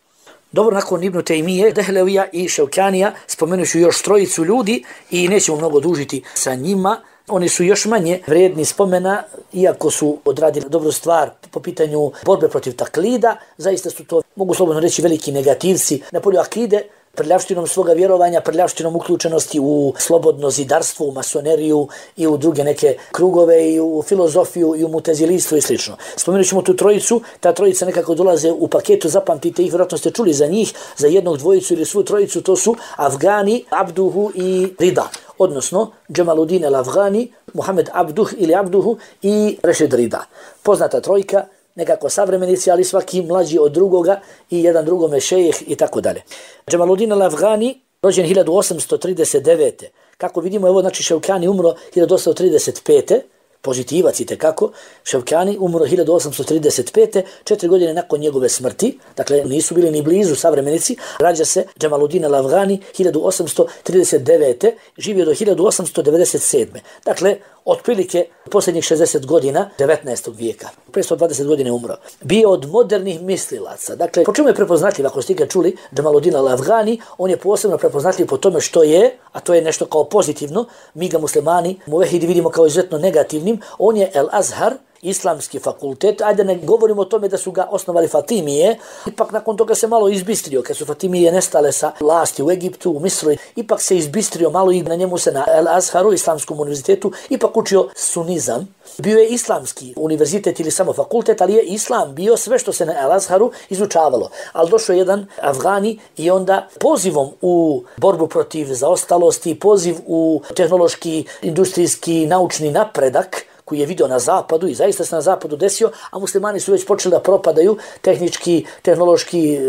Dobro, nakon Ibn Taymije, Dehlevija i Ševkanija spomenuću još trojicu ljudi i nećemo mnogo dužiti sa njima. Oni su još manje vrijedni spomena, iako su odradili dobru stvar po pitanju borbe protiv taklida. Zaista su to, mogu slobodno reći, veliki negativci na polju akide, prljavštinom svoga vjerovanja, prljavštinom uključenosti u slobodno zidarstvo, u masoneriju i u druge neke krugove i u filozofiju i u mutezilistvu i sl. Spomenut ćemo tu trojicu, ta trojica nekako dolaze u paketu, zapamtite ih, vjerojatno ste čuli za njih, za jednog, dvojicu ili svu trojicu, to su Afgani, Abduhu i Rida, odnosno Džemaluddin el-Afgani, Muhammed Abduh ili Abduhu i Rešid Rida. Poznata trojka, nekako savremenici, ali svaki mlađi od drugoga i jedan drugome šejih i tako dalje. Džemaluddin el-Afgani, rođen 1839. Kako vidimo, evo znači Ševkani umro 1835. Pozitivac i tekako. Ševkani umro 1835. 4 godine nakon njegove smrti, dakle nisu bili ni blizu savremenici. Rađa se Džemaluddin el-Afgani 1839. živio do 1897. Dakle, otprilike posljednjih 60 godina 19. vijeka. 520 godine umro. Bio od modernih mislilaca. Dakle, po čemu je prepoznatljiv, ako ste ikad čuli Džemaluddin el-Afgani, on je posebno prepoznatljiv po tome što je, a to je nešto kao pozitivno, mi ga muslimani muvehidi vidimo kao izuzetno negativnim, on je El-Azhar, islamski fakultet, ajde ne govorimo o tome da su ga osnovali Fatimije, ipak nakon toga se malo izbistrio, kad su Fatimije nestale sa vlasti u Egiptu, u Misru, ipak se izbistrio malo i na njemu se na El-Azharu, islamskom univerzitetu, ipak učio sunizam. Bio je islamski univerzitet ili samo fakultet, ali je islam bio sve što se na El-Azharu izučavalo. Ali došao je jedan Afgani i onda pozivom u borbu protiv zaostalosti, poziv u tehnološki, industrijski, naučni napredak, koji je vidio na zapadu i zaista se na zapadu desio, a muslimani su već počeli da propadaju tehnički, tehnološki,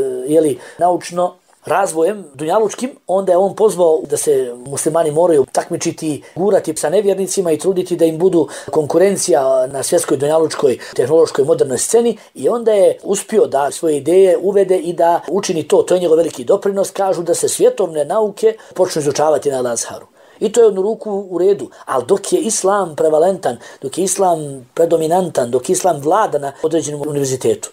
naučno razvojem dunjalučkim, onda je on pozvao da se muslimani moraju takmičiti, gurati sa nevjernicima i truditi da im budu konkurencija na svjetskoj dunjalučkoj tehnološkoj modernoj sceni, i onda je uspio da svoje ideje uvede i da učini to. To je njegov veliki doprinos. Kažu da se svjetovne nauke počnu izučavati na Al-Azharu. I to je jednu ruku u redu, ali dok je islam prevalentan, dok je islam predominantan, dok islam vlada na određenom univerzitetu,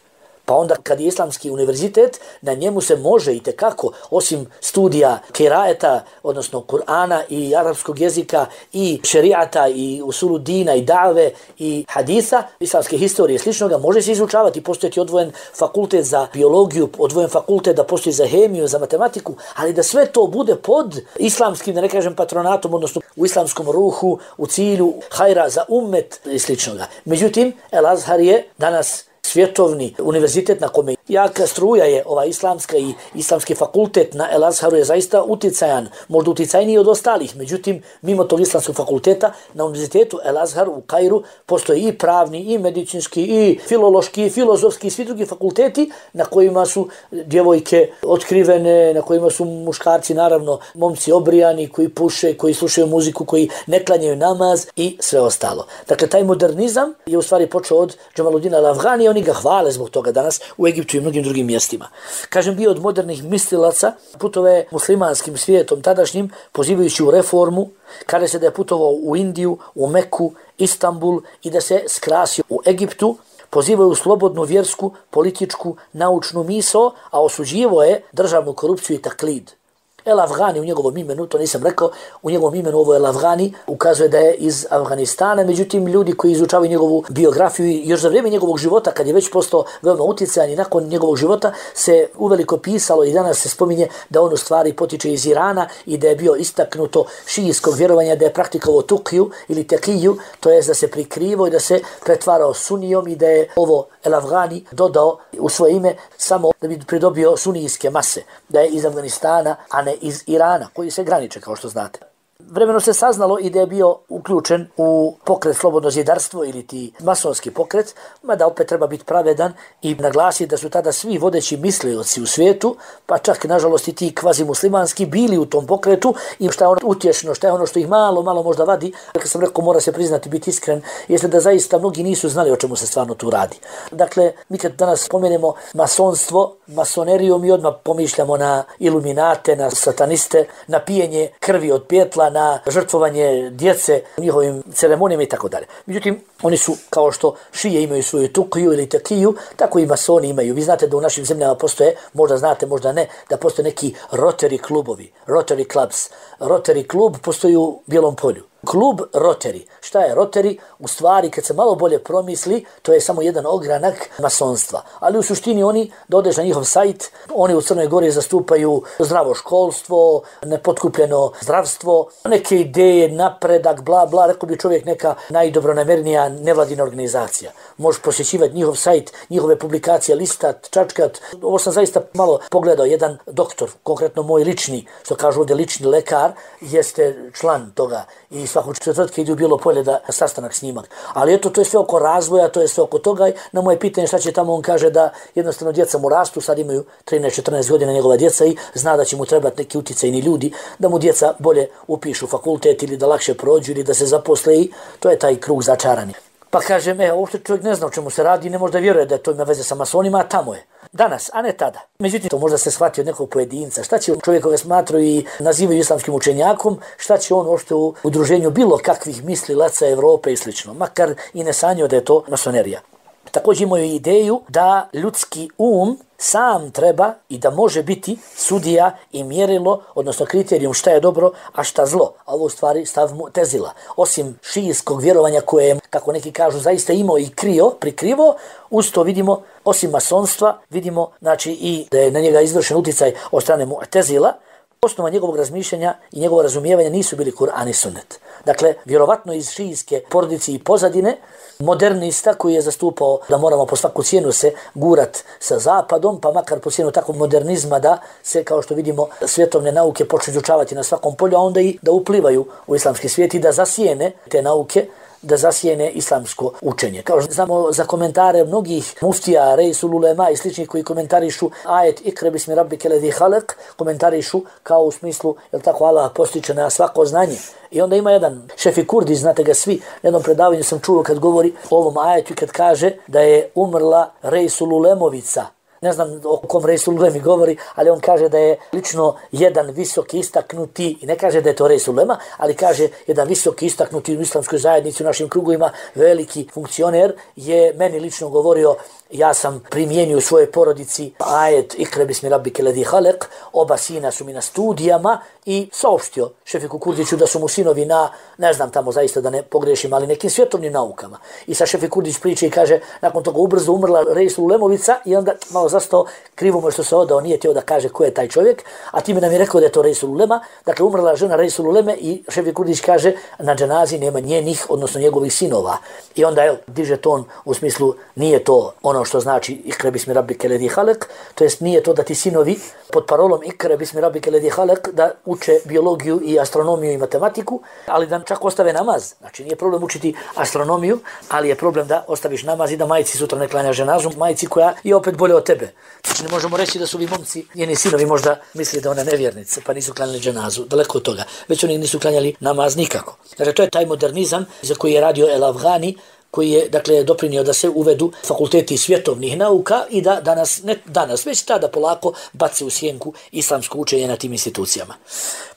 pa onda kad je islamski univerzitet, na njemu se može i tekako, osim studija kiraeta, odnosno Kur'ana i arapskog jezika i šerijata i usulu dina i dave i haditha, islamske historije i sličnoga, može se izučavati, postojati odvojen fakultet za biologiju, odvojen fakultet da postoji za hemiju, za matematiku, ali da sve to bude pod islamskim, da ne kažem patronatom, odnosno u islamskom ruhu, u cilju hajra za ummet i sličnoga. Međutim, El-Azhar je danas svjetovni univerzitet na kome jaka struja je ova islamska i islamski fakultet na El-Azharu je zaista uticajan, možda uticajniji od ostalih. Međutim, mimo tog islamskog fakulteta, na univerzitetu El-Azhar u Kairu postoji i pravni, i medicinski, i filološki, i filozofski, i svi drugi fakulteti na kojima su djevojke otkrivene, na kojima su muškarci, naravno, momci obrijani, koji puše, koji slušaju muziku, koji ne klanjaju namaz i sve ostalo. Dakle, taj modernizam je u stvari počeo od Džemaluddina el-Afgani, oni ga hvale zbog toga danas u Egiptu i mnogim drugim mjestima. Kažem, bio od modernih mislilaca, putove muslimanskim svijetom tadašnjim, pozivajući u reformu, kaže se da je putovao u Indiju, u Meku, Istanbul i da se skrasio u Egiptu, pozivaju u slobodnu vjersku, političku, naučnu misao, a osuđivo je državnu korupciju i taklid. El-Afgani u njegovom imenu, to nisam rekao, u njegovom imenu ovo El-Afgani ukazuje da je iz Afganistana, međutim ljudi koji izučavaju njegovu biografiju još za vrijeme njegovog života, kad je već postao veoma utjecajan i nakon njegovog života se uveliko pisalo i danas se spominje da on u stvari potiče iz Irana i da je bio istaknuto šijijskog vjerovanja, da je praktikovao tukiju ili tekiju, to je da se prikrivao i da se pretvarao sunijom i da je ovo El-Afgani dodao u svoje ime samo da bi pridobio sunijske mase, da je iz Afganistana, a ne iz Irana, koji se graniče, kao što znate. Vremeno se saznalo i da je bio uključen u pokret Slobodno zidarstvo ili ti masonski pokret, mada opet treba biti pravedan i naglasiti da su tada svi vodeći mislioci u svijetu, pa čak nažalost i ti kvazimuslimanski bili u tom pokretu i šta je ono utješno, šta je ono što ih malo možda vadi. Kad sam rekao, mora se priznati, biti iskren, jeste da zaista mnogi nisu znali o čemu se stvarno tu radi. Dakle, mi kad danas spomenemo masonstvo, masoneriju, mi odmah pomišljamo na iluminate, na sataniste, na pijenje krvi od pjetla, na žrtvovanje djece u njihovim ceremonijama i tako dalje. Međutim, oni su, kao što šije imaju svoju tukiju ili takiju, tako i masoni imaju. Vi znate da u našim zemljama postoje, možda znate, možda ne, da postoje neki Rotary klubovi, Rotary clubs. Rotary klub postoji u Bijelom Polju. Klub Rotary. Šta je Rotary? U stvari, kad se malo bolje promisli, to je samo jedan ogranak masonstva. Ali u suštini oni, da odeš na njihov sajt, oni u Crnoj Gori zastupaju zdravo školstvo, nepotkupljeno zdravstvo, neke ideje, napredak, bla, bla, rekao bi čovjek neka najdobronamernija nevladina organizacija. Možeš posjećivati njihov sajt, njihove publikacije, listat, čačkat. Ovo sam zaista malo pogledao. Jedan doktor, konkretno moj lični, što kažu ovdje lični lekar, jeste član toga i svakog četvrtka ide u Bijelo Polje da sastanak snimak. Ali eto, to je sve oko razvoja, to je sve oko toga. Na moje pitanje šta će tamo, on kaže da jednostavno djeca mu rastu, sad imaju 13-14 godina njegova djeca i zna da će mu trebati neki uticajni ljudi, da mu djeca bolje upišu fakultet ili da lakše prođu ili da se zaposle i to je taj krug začarani. Pa kažem, uopšte čovjek ne zna o čemu se radi i ne može da vjeruje da to ima veze sa masonima, a tamo je. Danas, a ne tada. Međutim, to možda se shvati od nekog pojedinca. Šta će čovjek koga smatraju i nazivaju islamskim učenjakom, šta će on uopšte u udruženju bilo kakvih mislilaca Evrope i slično. Makar i ne sanjao da je to masonerija. Također imaju ideju da ljudski sam treba i da može biti sudija i mjerilo, odnosno kriterijum šta je dobro, a šta zlo. A ovo u stvari stav Mu'tezila. Osim šijskog vjerovanja koje je, kako neki kažu, zaista imao i prikrivo, uz to vidimo, osim masonstva, vidimo znači i da je na njega izvršen uticaj od strane Mu'tezila. Osnova njegovog razmišljanja i njegovog razumijevanja nisu bili Kur'an i Sunnet. Dakle, vjerovatno iz šijske porodice i pozadine, modernista koji je zastupao da moramo po svaku cijenu se gurat sa zapadom, pa makar po cijenu takvog modernizma da se, kao što vidimo, svjetovne nauke počnu izučavati na svakom polju, a onda i da uplivaju u islamski svijet i da zasijene te nauke, da zasijene islamsko učenje. Kao što znamo za komentare mnogih muftija, Reisul Ulema i sličnih koji komentarišu ajet Ikra bismi rabbike ledhi halak, komentarišu kao u smislu, jel tako, Allah postiče na svako znanje. I onda ima jedan Šefi Kurdi, znate ga svi, na jednom predavanju sam čuo kad govori o ovom ajetu i kad kaže da je umrla Reisul Ulemovica. Ne znam o kom Reisul Ulemi govori, ali on kaže da je lično jedan visoki istaknuti, i ne kaže da je to Reisul Ulema, ali kaže jedan visoki istaknuti u islamskoj zajednici u našim krugovima, veliki funkcioner, je meni lično govorio, ja sam primijenio u svojoj porodici ajet Ikra bismi rabbike ledhi halak, oba sina su mi na studijama i saopštio Šefiku Kurdiću da su mu sinovi na, ne znam tamo zaista da ne pogrešim, ali nekim svjetovnim naukama. I sa Šefik Kurdić priče i kaže, nakon toga ubrzo umrla Reisul Ulemovica i onda malo zastao, krivo mu što se odao, nije htio da kaže ko je taj čovjek, a time nam je rekao da je to Reisul Ulema, dakle umrla žena Reisul Uleme i Šefik Kurdić kaže, na dženazi nema njenih, odnosno njegovih sinova. I onda diže ton u smislu, nije to ono što znači Ikra bismi rabbike ledhi halak, to jest nije to da ti sinovi pod parolom Ikra bismi rabbike ledhi halak da uče biologiju i astronomiju i matematiku, ali da čak ostave namaz. Znači nije problem učiti astronomiju, ali je problem da ostaviš namaz i da majci sutra ne klanja ženazu, majci koja je opet bolje od tebe. Znači ne možemo reći da su ovi momci, njeni sinovi možda misli da ona nevjernice, pa nisu klanjali ženazu, daleko od toga. Već oni nisu klanjali namaz nikako. Dakle, to je taj modernizam za koji je radio El Afghani, koji je, dakle, doprinio da se uvedu fakulteti svjetovnih nauka i da danas, već tada polako baci u sjenku islamsko učenje na tim institucijama.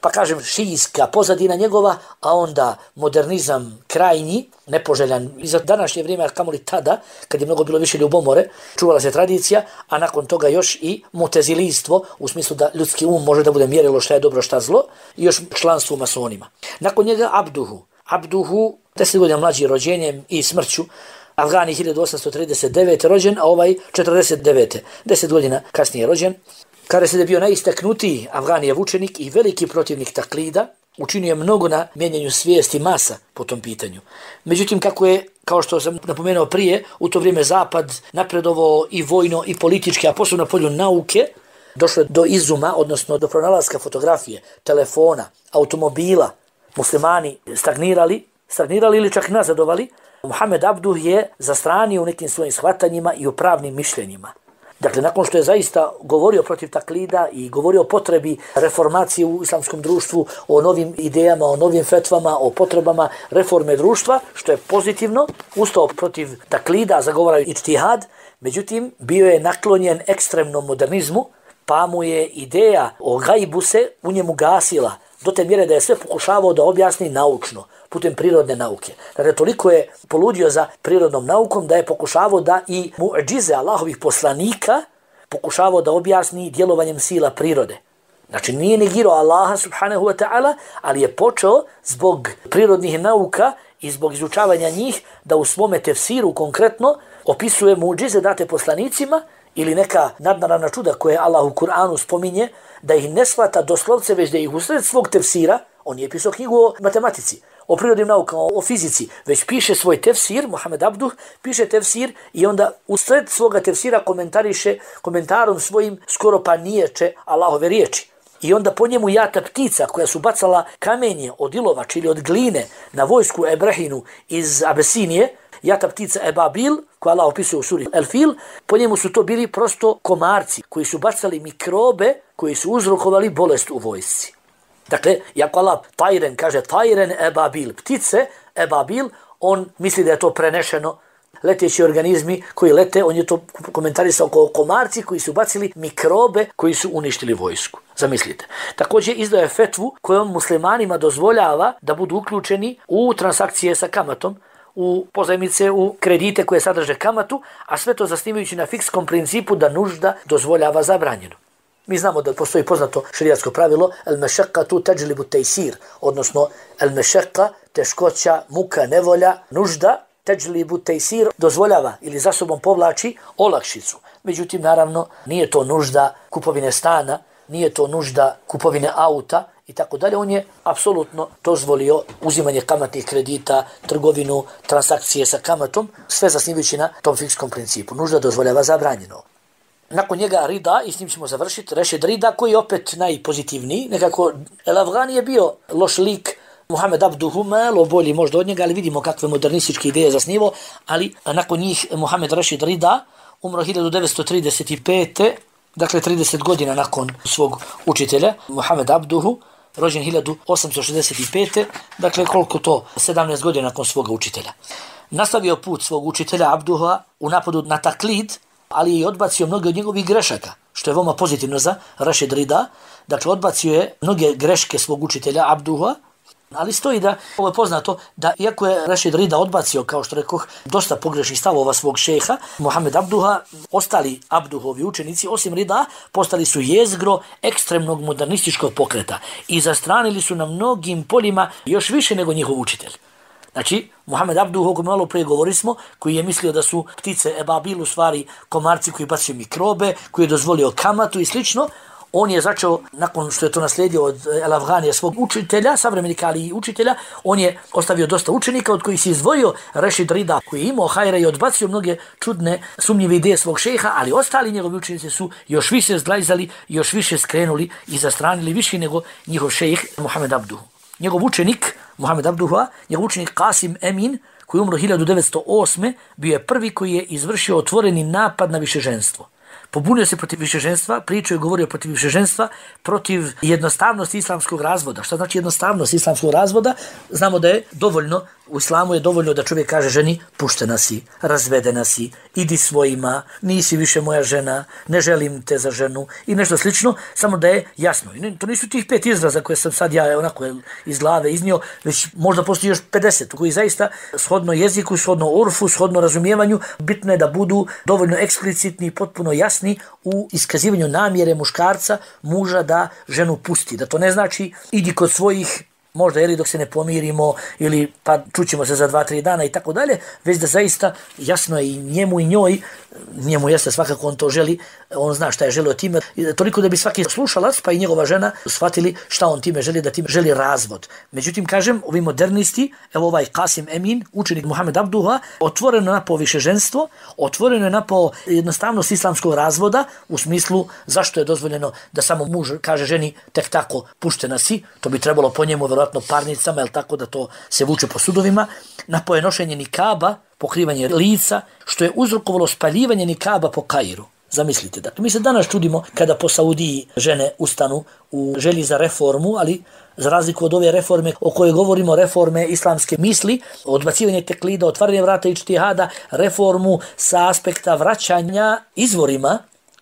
Pa kažem, šijska pozadina njegova, a onda modernizam krajnji, nepoželjan i za današnje vrijeme, kamoli tada, kad je mnogo bilo više ljubomore, čuvala se tradicija, a nakon toga još i mutezilijstvo, u smislu da ljudski može da bude mjerilo šta je dobro, šta zlo, i još članstvo u masonima. Nakon njega Abduhu, 10 godina mlađi rođenjem i smrću, Afgani 1839. rođen, a ovaj 49. 10 godina kasnije rođen. Kada se je bio najistaknutiji Afganijev učenik i veliki protivnik taklida, učinio je mnogo na mijenjanju svijesti masa po tom pitanju. Međutim, kao što sam napomenuo prije, u to vrijeme Zapad napredovao i vojno i politički, a posebno na polju nauke, došlo do izuma, odnosno do pronalaska fotografije, telefona, automobila, muslimani stagnirali ili čak nazadovali, Muhammed Abduh je zastranio u nekim svojim shvatanjima i u pravnim mišljenjima. Dakle, nakon što je zaista govorio protiv taklida i govorio o potrebi reformacije u islamskom društvu, o novim idejama, o novim fetvama, o potrebama reforme društva, što je pozitivno, ustao protiv taklida, zagovarao ijtihad, međutim, bio je naklonjen ekstremnom modernizmu, pa mu je ideja o gajbu se u njemu gasila, do te mjere da je sve pokušavao da objasni naučno, putem prirodne nauke. Dakle, toliko je poludio za prirodnom naukom da je pokušavao da i muadžize Allahovih poslanika pokušavao da objasni djelovanjem sila prirode. Znači, nije negirao Allaha subhanahu wa ta'ala, ali je počeo zbog prirodnih nauka i zbog izučavanja njih da u svome tefsiru konkretno opisuje muadžize date poslanicima ili neka nadnaravna čuda koje Allah u Kur'anu spominje, da ih ne shvata doslovce, već da ih usred svog tefsira, on je pisao knjigu o matematici, o prirodnim naukama, o fizici, već piše svoj tefsir, Muhammed Abduh piše tefsir i onda usred svoga tefsira komentariše komentarom svojim skoro pa niječe Allahove riječi. I onda po njemu jata ptica koja su bacala kamenje od ilovač ili od gline na vojsku Ebrahinu iz Abesinije, jata ptica Ebabil, koja Allah opisuje u suri El Fil, po njemu su to bili prosto komarci koji su bacali mikrobe koji su uzrokovali bolest u vojsci. Dakle, jako Allah tajren kaže tajren Ebabil, ptice Ebabil, on misli da je to prenešeno leteći organizmi koji lete, on je to komentarisao kao komarci koji su bacili mikrobe koji su uništili vojsku. Zamislite. Također izdao je fetvu kojom muslimanima dozvoljava da budu uključeni u transakcije sa kamatom, u pozajmice, u kredite koje sadrže kamatu, a sve to zasnivajući na fikskom principu da nužda dozvoljava zabranjeno. Mi znamo da postoji poznato šerijatsko pravilo el-mešaqqatu tajlibu tejsir, odnosno el-mešaqqa, teškoća, muka, nevolja, nužda, tajlibu tejsir, dozvoljava ili za sobom povlači olakšicu. Međutim, naravno, nije to nužda kupovine stana, nije to nužda kupovine auta i tako dalje. On je apsolutno dozvolio uzimanje kamatnih kredita, trgovinu, transakcije sa kamatom, sve zasnivajući na tom fikskom principu. Nužda dozvoljava zabranjeno. Nakon njega Rida, i s njim ćemo završiti, Rešid Rida, koji je opet najpozitivniji. Nekako El Afgani je bio loš lik, Muhammed Abduhu malo bolji možda od njega, ali vidimo kakve modernističke ideje zasnivo. Ali nakon njih Muhammed Rešid Rida umro 1935. Dakle 30 godina nakon svog učitelja, Muhammed Abduhu, rođen 1865. Dakle koliko to? 17 godina nakon svoga učitelja. Nastavio put svog učitelja Abduha u napadu na taklid, ali je odbacio mnoge od njegovih grešaka, što je veoma pozitivno za Rešid Rida. Dakle, odbacio je mnoge greške svog učitelja Abduha, ali stoji da, ovo je poznato, da iako je Rešid Rida odbacio, kao što rekoh, dosta pogrešnih stavova svog šeha, Muhammed Abduha, ostali Abduhovi učenici, osim Rida, postali su jezgro ekstremnog modernističkog pokreta i zastranili su na mnogim poljima još više nego njihov učitelj. Znači, Muhammed Abduh, o kojem malo prije govorili smo, koji je mislio da su ptice Ebabil u stvari komarci koji bacaju mikrobe, koji je dozvolio kamatu i slično, on je začeo, nakon što je to naslijedio od El Afganija svog učitelja, savremenika ali i učitelja, on je ostavio dosta učenika od kojih se izdvojio Rešid Rida, koji je imao hajra i odbacio mnoge čudne, sumnjive ideje svog šeha, ali ostali njegovi učenici su još više zglajzali, još više skrenuli i zastranili više nego njihov šejh Muhammed Abduh. Njegov učenik, Muhammed Abduha, njegov učenik Qasim Emin, koji umro 1908. bio je prvi koji je izvršio otvoreni napad na višeženstvo. Pobunio se protiv višeženstva, pričao i govorio protiv višeženstva, protiv jednostavnosti islamskog razvoda. Šta znači jednostavnost islamskog razvoda? Znamo da je dovoljno, u islamu je dovoljno da čovjek kaže ženi puštena si, razvedena si, idi svojima, nisi više moja žena, ne želim te za ženu i nešto slično, samo da je jasno. I to nisu tih 5 izraza koje sam sad ja onako iz glave iznio, već možda postoji još 50, koji zaista shodno jeziku, shodno urfu, shodno razumijevanju, bitno je da budu dovoljno eksplicitni, potpuno jasni u iskazivanju namjere muškarca, muža da ženu pusti. Da to ne znači idi kod svojih, možda ili dok se ne pomirimo ili pa čućemo se za 2-3 dana i tako dalje, već da zaista jasno je i njemu i njoj, njemu jeste svakako on to želi, on zna šta je želio time, toliko da bi svaki slušalac pa i njegova žena shvatili šta on time želi, da time želi razvod. Međutim, kažem, ovi modernisti, evo ovaj Qasim Emin, učenik Muhammed Abduha, otvoreno napao višeženstvo, otvoreno je napao jednostavnost islamskog razvoda, u smislu zašto je dozvoljeno da samo muž kaže ženi tek tako puštena si, to bi trebalo po njemu verovatno vjerovatno parnicama, jel tako da to se vuče po sudovima, na ponošenje nikaba, pokrivanje lica, što je uzrokovalo spaljivanje nikaba po Kairu. Zamislite, dakle, mi se danas čudimo kada po Saudiji žene ustanu u želji za reformu, ali za razliku od ove reforme o kojoj govorimo, reforme islamske misli, odbacivanje teklida, otvaranje vrata ičtihada, reformu sa aspekta vraćanja izvorima,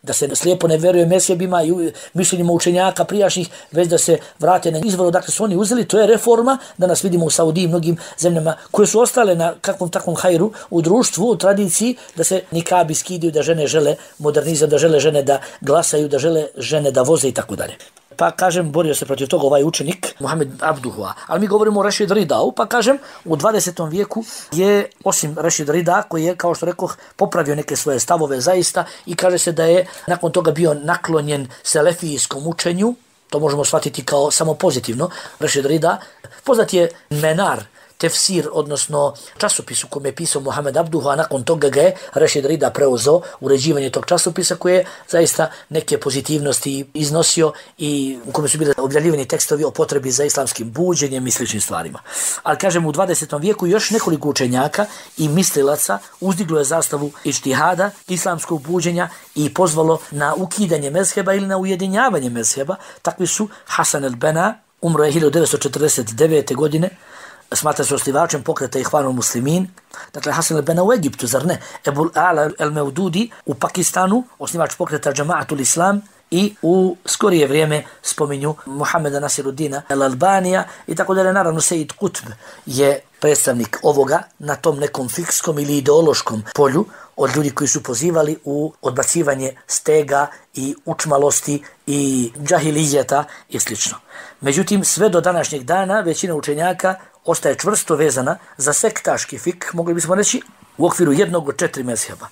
da se slijepo ne veruje mezhebima i mišljenjima učenjaka prijašnjih, već da se vrate na izvor odakle su oni uzeli. To je reforma, da nas vidimo u Saudiji i mnogim zemljama koje su ostale na kakvom takvom hajru u društvu, u tradiciji, da se nikabi skidaju, da žene žele modernizam, da žele žene da glasaju, da žele žene da voze i tako dalje. Pa kažem, borio se protiv toga ovaj učenik, Muhammed Abduhua. Ali mi govorimo o Rešid Ridau, pa kažem, u 20. vijeku je, osim Rešid Rida, koji je, kao što rekoh, popravio neke svoje stavove zaista i kaže se da je nakon toga bio naklonjen selefijskom učenju, to možemo shvatiti kao samo pozitivno, Rešid Rida. Poznat je Menar, tefsir, odnosno časopis u kojem je pisao Muhammed Abduhu, a nakon toga ga je Rešid Rida preuzeo uređivanje tog časopisa koje je zaista neke pozitivnosti iznosio i u kojem su bili objavljivani tekstovi o potrebi za islamskim buđenjem i sličnim stvarima. Ali kažem, u 20. vijeku još nekoliko učenjaka i mislilaca uzdiglo je zastavu ičtihada, islamskog buđenja i pozvalo na ukidanje mezheba ili na ujedinjavanje mezheba. Takvi su Hasan el-Bena, umro je 1949. godine, smatra se osnivačem pokreta Ihvanul Muslimin. Dakle, Hasan el-Bena u Egiptu, zar ne? Ebul Ala el-Meududi u Pakistanu, osnivač pokreta Džamaatul Islam, i u skorije vrijeme spominju Muhammeda Nasiruddina el-Albanija i tako dalje. Naravno, Sejid Kutb je predstavnik ovoga na tom nekom fikskom ili ideološkom polju od ljudi koji su pozivali u odbacivanje stega i učmalosti i džahilijeta i sl. Međutim, sve do današnjeg dana većina učenjaka ostaje čvrsto vezana za sektaški fik, mogli bismo reći, u okviru jednog od 4 mezheba.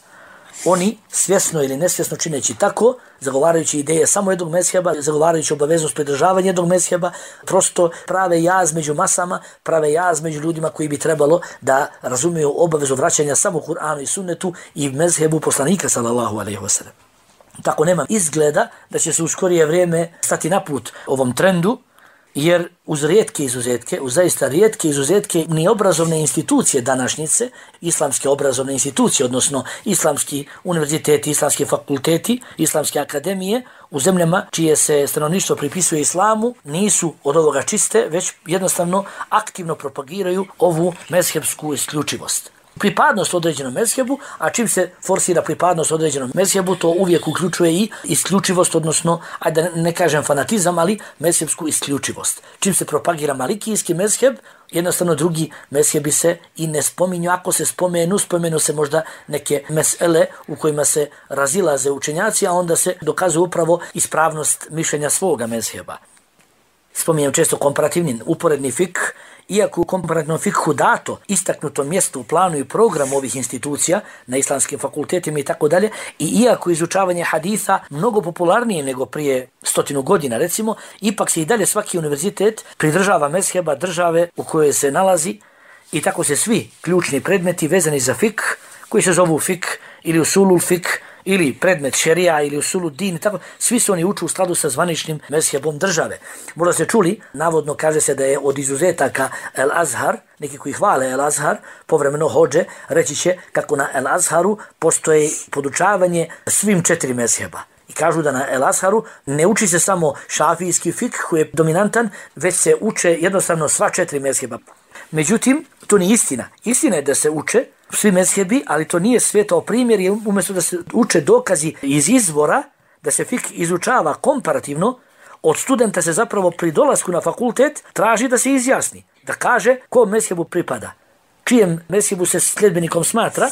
Oni, svjesno ili nesvjesno čineći tako, zagovarajući ideje samo jednog mezheba, zagovarajući obaveznost pridržavanja jednog mezheba, prosto prave jaz među masama, prave jaz među ljudima koji bi trebalo da razumiju obavezu vraćanja samo Kur'anu i sunnetu i mezhebu poslanika sallallahu alejhi ve sellem. Tako nema izgleda da će se u skorije vrijeme stati na put ovom trendu, jer uz rijetke izuzetke, uz zaista rijetke izuzetke, ni obrazovne institucije današnjice, islamske obrazovne institucije, odnosno islamski univerziteti, islamski fakulteti, islamske akademije, u zemljama čije se stanovništvo pripisuje islamu, nisu od ovoga čiste, već jednostavno aktivno propagiraju ovu mezhebsku isključivost. Pripadnost određenom mezhebu, a čim se forsira pripadnost određenom mezhebu, to uvijek uključuje i isključivost, odnosno, ajde ne kažem fanatizam, ali mezhebsku isključivost. Čim se propagira malikijski mezheb, jednostavno drugi mezhebi se i ne spominju. Ako se spomenu se možda neke mesele u kojima se razilaze učenjaci, a onda se dokazuje upravo ispravnost mišljenja svoga mezheba. Spominjem često komparativni uporedni fik, iako u komparativnom fikhu dato istaknuto mjesto u planu i programu ovih institucija na islamskim fakultetima i tako dalje, i iako izučavanje haditha mnogo popularnije nego prije 100 godina recimo, ipak se i dalje svaki univerzitet pridržava mezheba države u kojoj se nalazi i tako se svi ključni predmeti vezani za fik, koji se zovu fik ili usulul fik, ili predmet šerija ili usulu din, tako, svi su oni uče u skladu sa zvaničnim mezhebom države. Možda ste čuli, navodno kaže se da je od izuzetaka El Azhar, neki koji hvale El Azhar, povremeno hođe, reći će kako na El Azharu postoji podučavanje svim 4 mezheba. I kažu da na El Azharu ne uči se samo šafijski fik koji je dominantan, već se uče jednostavno sva 4 mezheba. Međutim, to nije istina. Istina je da se uče svi mezhebi, ali to nije svetao primjer, jer umjesto da se uče dokazi iz izvora, da se fik izučava komparativno, od studenta se zapravo pri dolasku na fakultet traži da se izjasni, da kaže kom mezhebu pripada, čijem mezhebu se sljedbenikom smatra,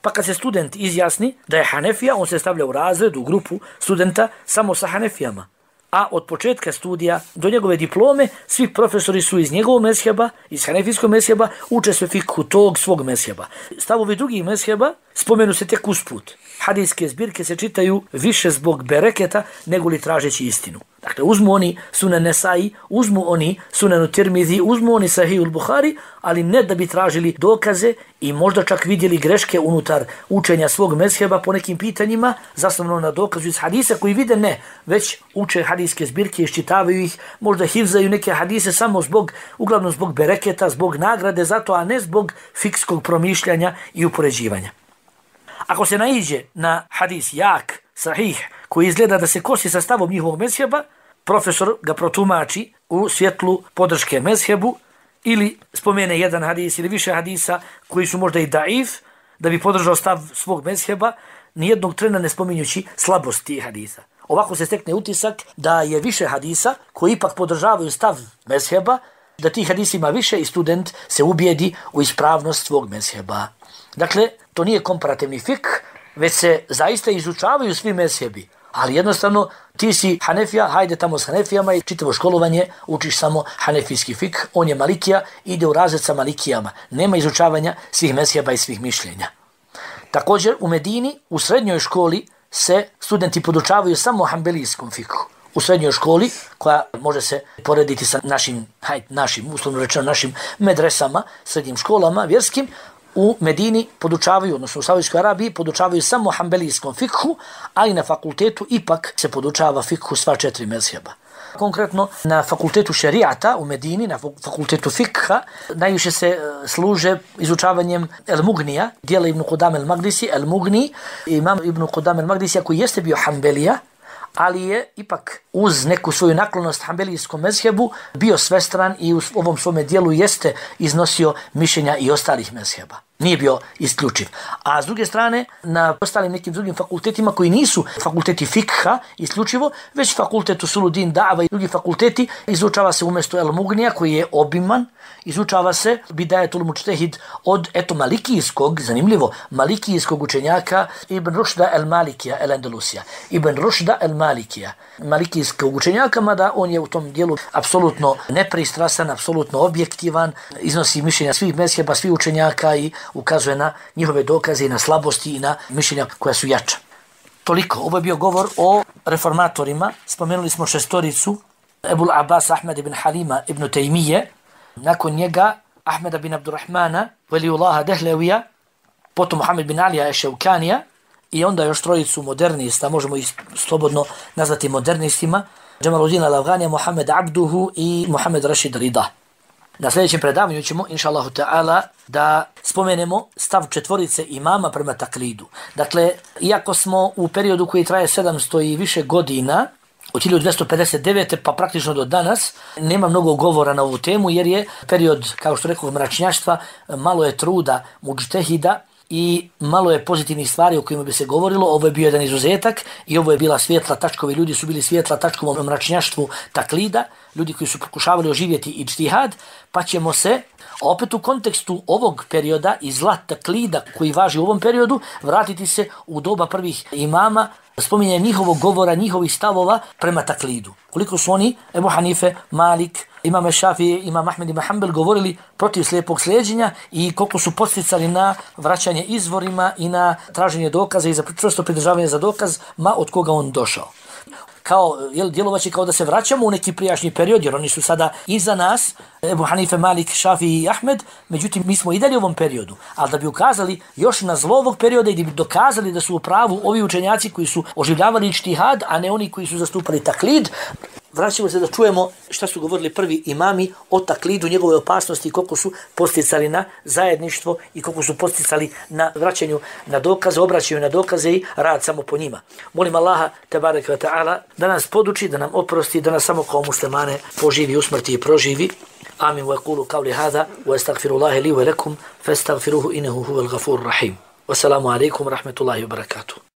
pa kad se student izjasni da je Hanefija, on se stavlja u razred, u grupu studenta samo sa Hanefijama. A od početka studija do njegove diplome svi profesori su iz njegovog mezheba, iz hanefijskog mezheba, uče sve fikhu tog svog mezheba. Stavovi drugih mezheba spomenu se tek usput. hadijske zbirke se čitaju više zbog bereketa nego li tražeći istinu. Dakle, uzmu oni Sunan Nesai, uzmu oni Sunan Tirmizi, uzmu oni Sahihul Buhari, ali ne da bi tražili dokaze i možda čak vidjeli greške unutar učenja svog mezheba po nekim pitanjima, zasnovano na dokazu iz hadisa koji vide ne, već uče hadijske zbirke, iščitavaju ih, možda hifzaju neke hadise samo uglavnom zbog bereketa, zbog nagrade za to, a ne zbog fikskog promišljanja i upoređivanja. Ako se naiđe na hadis jak, sahih, koji izgleda da se kosi sa stavom njihovog mezheba, profesor ga protumači u svjetlu podrške mezhebu ili spomene jedan hadis ili više hadisa koji su možda i daif, da bi podržao stav svog mezheba, nijednog trena ne spominjući slabost tih hadisa. Ovako se stekne utisak da je više hadisa koji ipak podržavaju stav mezheba, da tih hadisa ima više i student se ubijedi u ispravnost svog mezheba. Dakle, to nije komparativni fik, već se zaista izučavaju svi mezhebi. Ali jednostavno, ti si Hanefija, hajde tamo s Hanefijama i čitavo školovanje učiš samo hanefijski fik, on je Malikija, ide u razred sa Malikijama. Nema izučavanja svih mezheba i svih mišljenja. Također, u Medini, u srednjoj školi, se studenti podučavaju samo hanbelijskom fiku. U srednjoj školi, koja može se porediti sa našim, uslovno rečeno, našim medresama, srednjim školama, vjerskim, u Medini podučavaju, odnosno u Saudijskoj Arabiji, podučavaju samo hanbelijskom fikhu, ali na fakultetu ipak se podučava fikhu sva 4 mezheba. Konkretno, na fakultetu šerijata u Medini, na fakultetu fikha, najviše se služe izučavanjem El-Mugnija, dijela Ibn Qudam el-Magdisi, El-Mugni, imam Ibn Qudam el-Magdisija koji jeste bio hanbelija, ali je ipak uz neku svoju naklonost hanbelijskom mezhebu bio svestran i u ovom svome dijelu jeste iznosio mišljenja i ostalih mezheba. Nije bio isključiv. A s druge strane, na ostalim nekim drugim fakultetima koji nisu fakulteti fikha isključivo, već fakultetu Suludin Da'va i drugi fakulteti, izučava se umjesto El-Mugnija koji je obiman, izučava se Bidajetul Mučtehid od malikijskog, zanimljivo, malikijskog učenjaka Ibn Rušda el-Malikija el-Andalusija. Ibn Rušda el-Malikija, malikijskog učenjaka, mada on je u tom dijelu apsolutno nepristrasan, apsolutno objektivan, iznosi mišljenja svih mezheba, svih učenjaka i ukazuje na njihove dokaze i na slabosti i na mišljenja koja su jača. Toliko. Ovo je bio govor o reformatorima. Spomenuli smo 6 Ebul Abbas Ahmed ibn Halima ibn Tejmije, nakon njega Ahmeda bin Abdurrahmana, Veliullaha Dehlevija, potom Muhammed bin Alija Eševkanija i onda još 3 modernista, možemo ih slobodno nazvati modernistima, Džemaluddin al-Afganija, Muhammed Abduhu i Muhammed Rashid Rida. Na sljedećem predavanju ćemo, inša Allahu ta'ala, da spomenemo stav 4 imama prema taklidu. Dakle, iako smo u periodu koji traje 700 i više godina, od 1259. pa praktično do danas, nema mnogo govora na ovu temu, jer je period, kao što rekao, mračnjaštva, malo je truda mudžtehida i malo je pozitivnih stvari o kojima bi se govorilo. Ovo je bio jedan izuzetak i ovo je bila svijetla tačkovi. Ljudi su bili svijetla tačkom u mračnjaštvu taklida, ljudi koji su pokušavali oživjeti ijtihad, pa ćemo se opet u kontekstu ovog perioda i zla taklida koji važi u ovom periodu vratiti se u doba prvih imama, spominje njihovog govora, njihovih stavova prema taklidu. Koliko su oni, Ebu Hanife, Malik, Imam Šafije, Imam Ahmed ibn Hanbel govorili protiv slijepog slijeđenja i koliko su posticali na vraćanje izvorima i na traženje dokaza i za čvrsto pridržavanje za dokaz, ma od koga on došao. Djelovaće kao da se vraćamo u neki prijašnji period, jer oni su sada iza nas, Ebu Hanife, Malik, Šafi i Ahmed, međutim mi smo i dalje u ovom periodu, ali da bi ukazali još na zlo ovog perioda i da bi dokazali da su u pravu ovi učenjaci koji su oživljavali ijtihad, a ne oni koji su zastupali taklid, vraćamo se da čujemo šta su govorili prvi imami o taklidu, njegove opasnosti i koliko su posticali na zajedništvo i koliko su posticali na vraćanju na dokaze, obraćanju na dokaze i rad samo po njima. Molim Allaha, tebareke ve ta'ala, da nas poduči, da nam oprosti, da nas samo kao muslimane poživi, usmrti i proživi. Amin wa yaqulu qawli hadha wa astaghfirullaha li wa lakum fastaghfiruhu innahu huwal ghafurur rahim. Wassalamu alaikum wa rahmatullahi wa barakatuh.